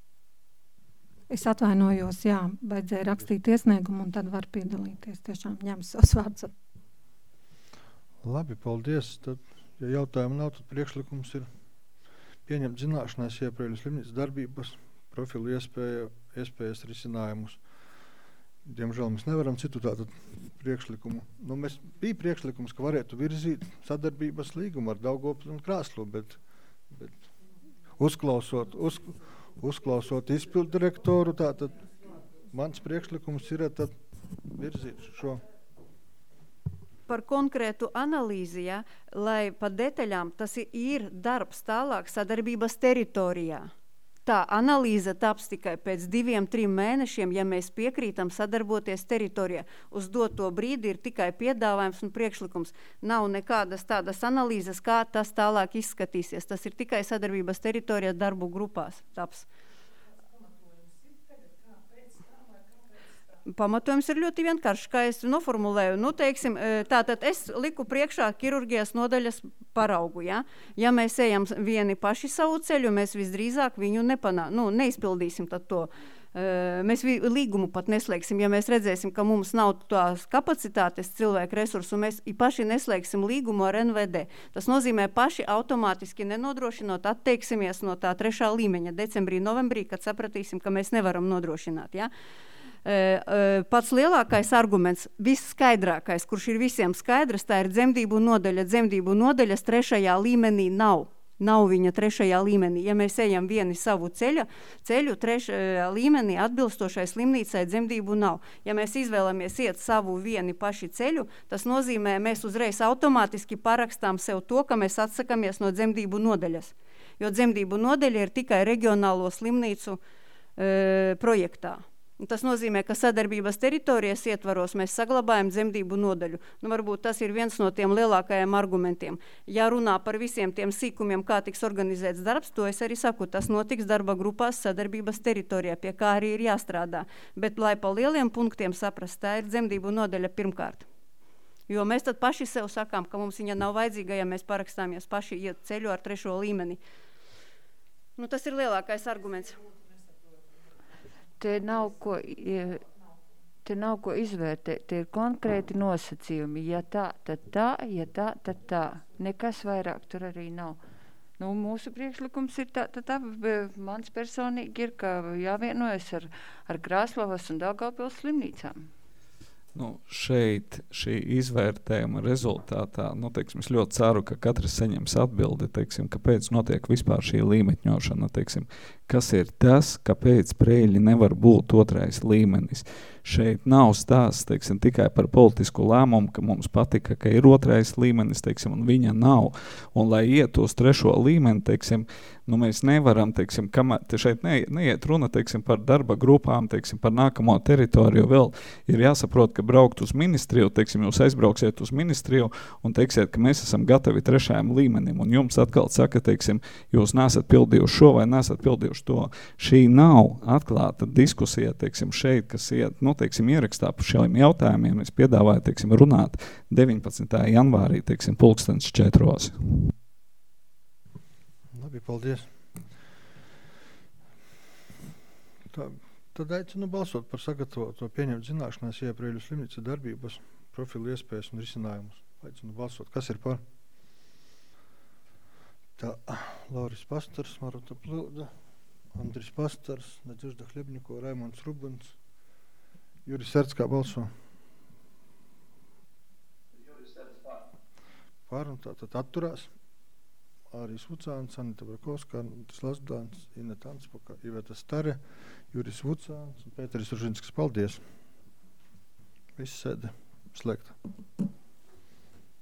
Es atvainojos, jā, vajadzēja rakstīt iesniegumu un tad var piedalīties. Tiešām ņem savus vārdus. Labi, paldies. Tad, ja jautājumu nav, tad priekšlikums ir pieņemt zināšanās iepriekš slimnīcas darbības profilu iespējas risinājumus. Diemžēl mēs nevaram citu tādu priekšlikumu. Bija priekšlikums, ka varētu virzīt sadarbības līgumu ar Daugavpili un Krāslu, bet uzklausot izpildu direktoru, tātad mans priekšlikums ir tad virzīt šo. Par konkrētu analīzi, ja, lai pa detaļām tas ir darbs tālāk sadarbības teritorijā. Tā analīze taps tikai pēc 2-3 mēnešiem, ja mēs piekrītam sadarboties teritorijā. Uz doto brīdi ir tikai piedāvājums un priekšlikums. Nav nekādas tādas analīzes, kā tas tālāk izskatīsies. Tas ir tikai sadarbības teritorijā darbu grupās taps. Pamatojums ir ļoti vienkārši, kā es noformulēju. Teiksim, tātad es liku priekšā ķirurģijas nodaļas paraugu. Ja mēs ejam vieni paši savu ceļu, mēs visdrīzāk viņu neizpildīsim tad to. Mēs līgumu pat neslēgsim, ja mēs redzēsim, ka mums nav tās kapacitātes cilvēku resursu, mēs paši neslēgsim līgumu ar NVD. Tas nozīmē paši automātiski nenodrošinot, atteiksimies no tā 3. līmeņa decembrī, novembrī, kad sapratīsim, ka mēs nevaram nodrošināt. Ja? Pats lielākais arguments, visskaidrākais, kurš ir visiem skaidrs, tā ir dzemdību nodaļa. Dzemdību nodaļas 3. līmenī nav. Nav viņa 3. līmenī. Ja mēs ejam vieni savu ceļu 3. līmenī atbilstošai slimnīcai dzemdību nav. Ja mēs izvēlamies iet savu vieni paši ceļu, tas nozīmē, mēs uzreiz automātiski parakstām sev to, ka mēs atsakamies no dzemdību nodaļas. Jo dzemdību nodaļa ir tikai reģionālo slimnīcu projektā. Tas nozīmē, ka sadarbības teritorijas ietvaros mēs saglabājam dzemdību nodaļu. Varbūt tas ir viens no tiem lielākajiem argumentiem. Ja runā par visiem tiem sīkumiem, kā tiks organizēts darbs, to es arī saku, tas notiks darba grupās sadarbības teritorijā, pie kā arī ir jāstrādā. Bet, lai pa lieliem punktiem saprast, tā ir dzemdību nodaļa pirmkārt. Jo mēs tad paši sev sakām, ka mums viņa nav vajadzīga, ja mēs parakstāmies paši iet ceļu ar 3. līmeni. Nu, tas ir lielākais arguments. Te nav ko izvērtēt, tie ir konkrēti nosacījumi. Ja tā, tad tā, ja tā, tad tā. Nekas vairāk tur arī nav. Nu, mūsu priekšlikums ir tā, mans personīgi ir, ka jāvienojas ar Krāslavas un Daugavpils slimnīcām. Nu, šeit šī izvērtējuma rezultātā, teiksim, es ļoti ceru, ka katrs saņems atbildi, teiksim, kāpēc notiek vispār šī līmeņošana, teiksim, kas ir tas, kāpēc Preiļi nevar būt otrais līmenis. Šeit nav stāsts, teiksim, tikai par politisku lēmumu, ka mums patika, ka ir otrais līmenis, teiksim, un viņa nav. Un lai iet uz trešo līmeni, teiksim, mēs nevaram, teiksim, šeit neiet runa, teiksim, par darba grupām, teiksim, par nākamo teritoriju, vēl ir jāsaprot, ka braukt uz ministriju, teiksim, jūs aizbrauksiet uz ministriju un teiksiet, ka mēs esam gatavi trešajam līmenim, un jums atkal saka, teiksim, jūs nesat pildījuši šo vai nesat pildījuši to. Šī nav atklāta diskusija, teiksim, šeit, kas iet, teiksim, ierakstā par šiem jautājumiem. Es piedāvāju, teiksim, runāt 19. janvārī, teiksim, 4:00. Labi, paldies. Tad aicinu balsot par sagatavoto pieņemt zināšanās Preiļu slimnīcas darbības profilu iespējas un risinājumus. Aicinu balsot. Kas ir par? Tā, Lauris Pastars, Marota Plūda, Andris Pastars, Nadežda Hļebņiko, Raimonds Rubans, Juris Serts, kā balso? Juris Serts pār. Pār, un tātad atturās. Āris Vucāns, Anita Brakovska, Arnolds Lasdāns, Ineta Anspaka, Iveta Stare, Juris Vucāns un Pēteris Ružinskas. Paldies! Viss sēde slēgta.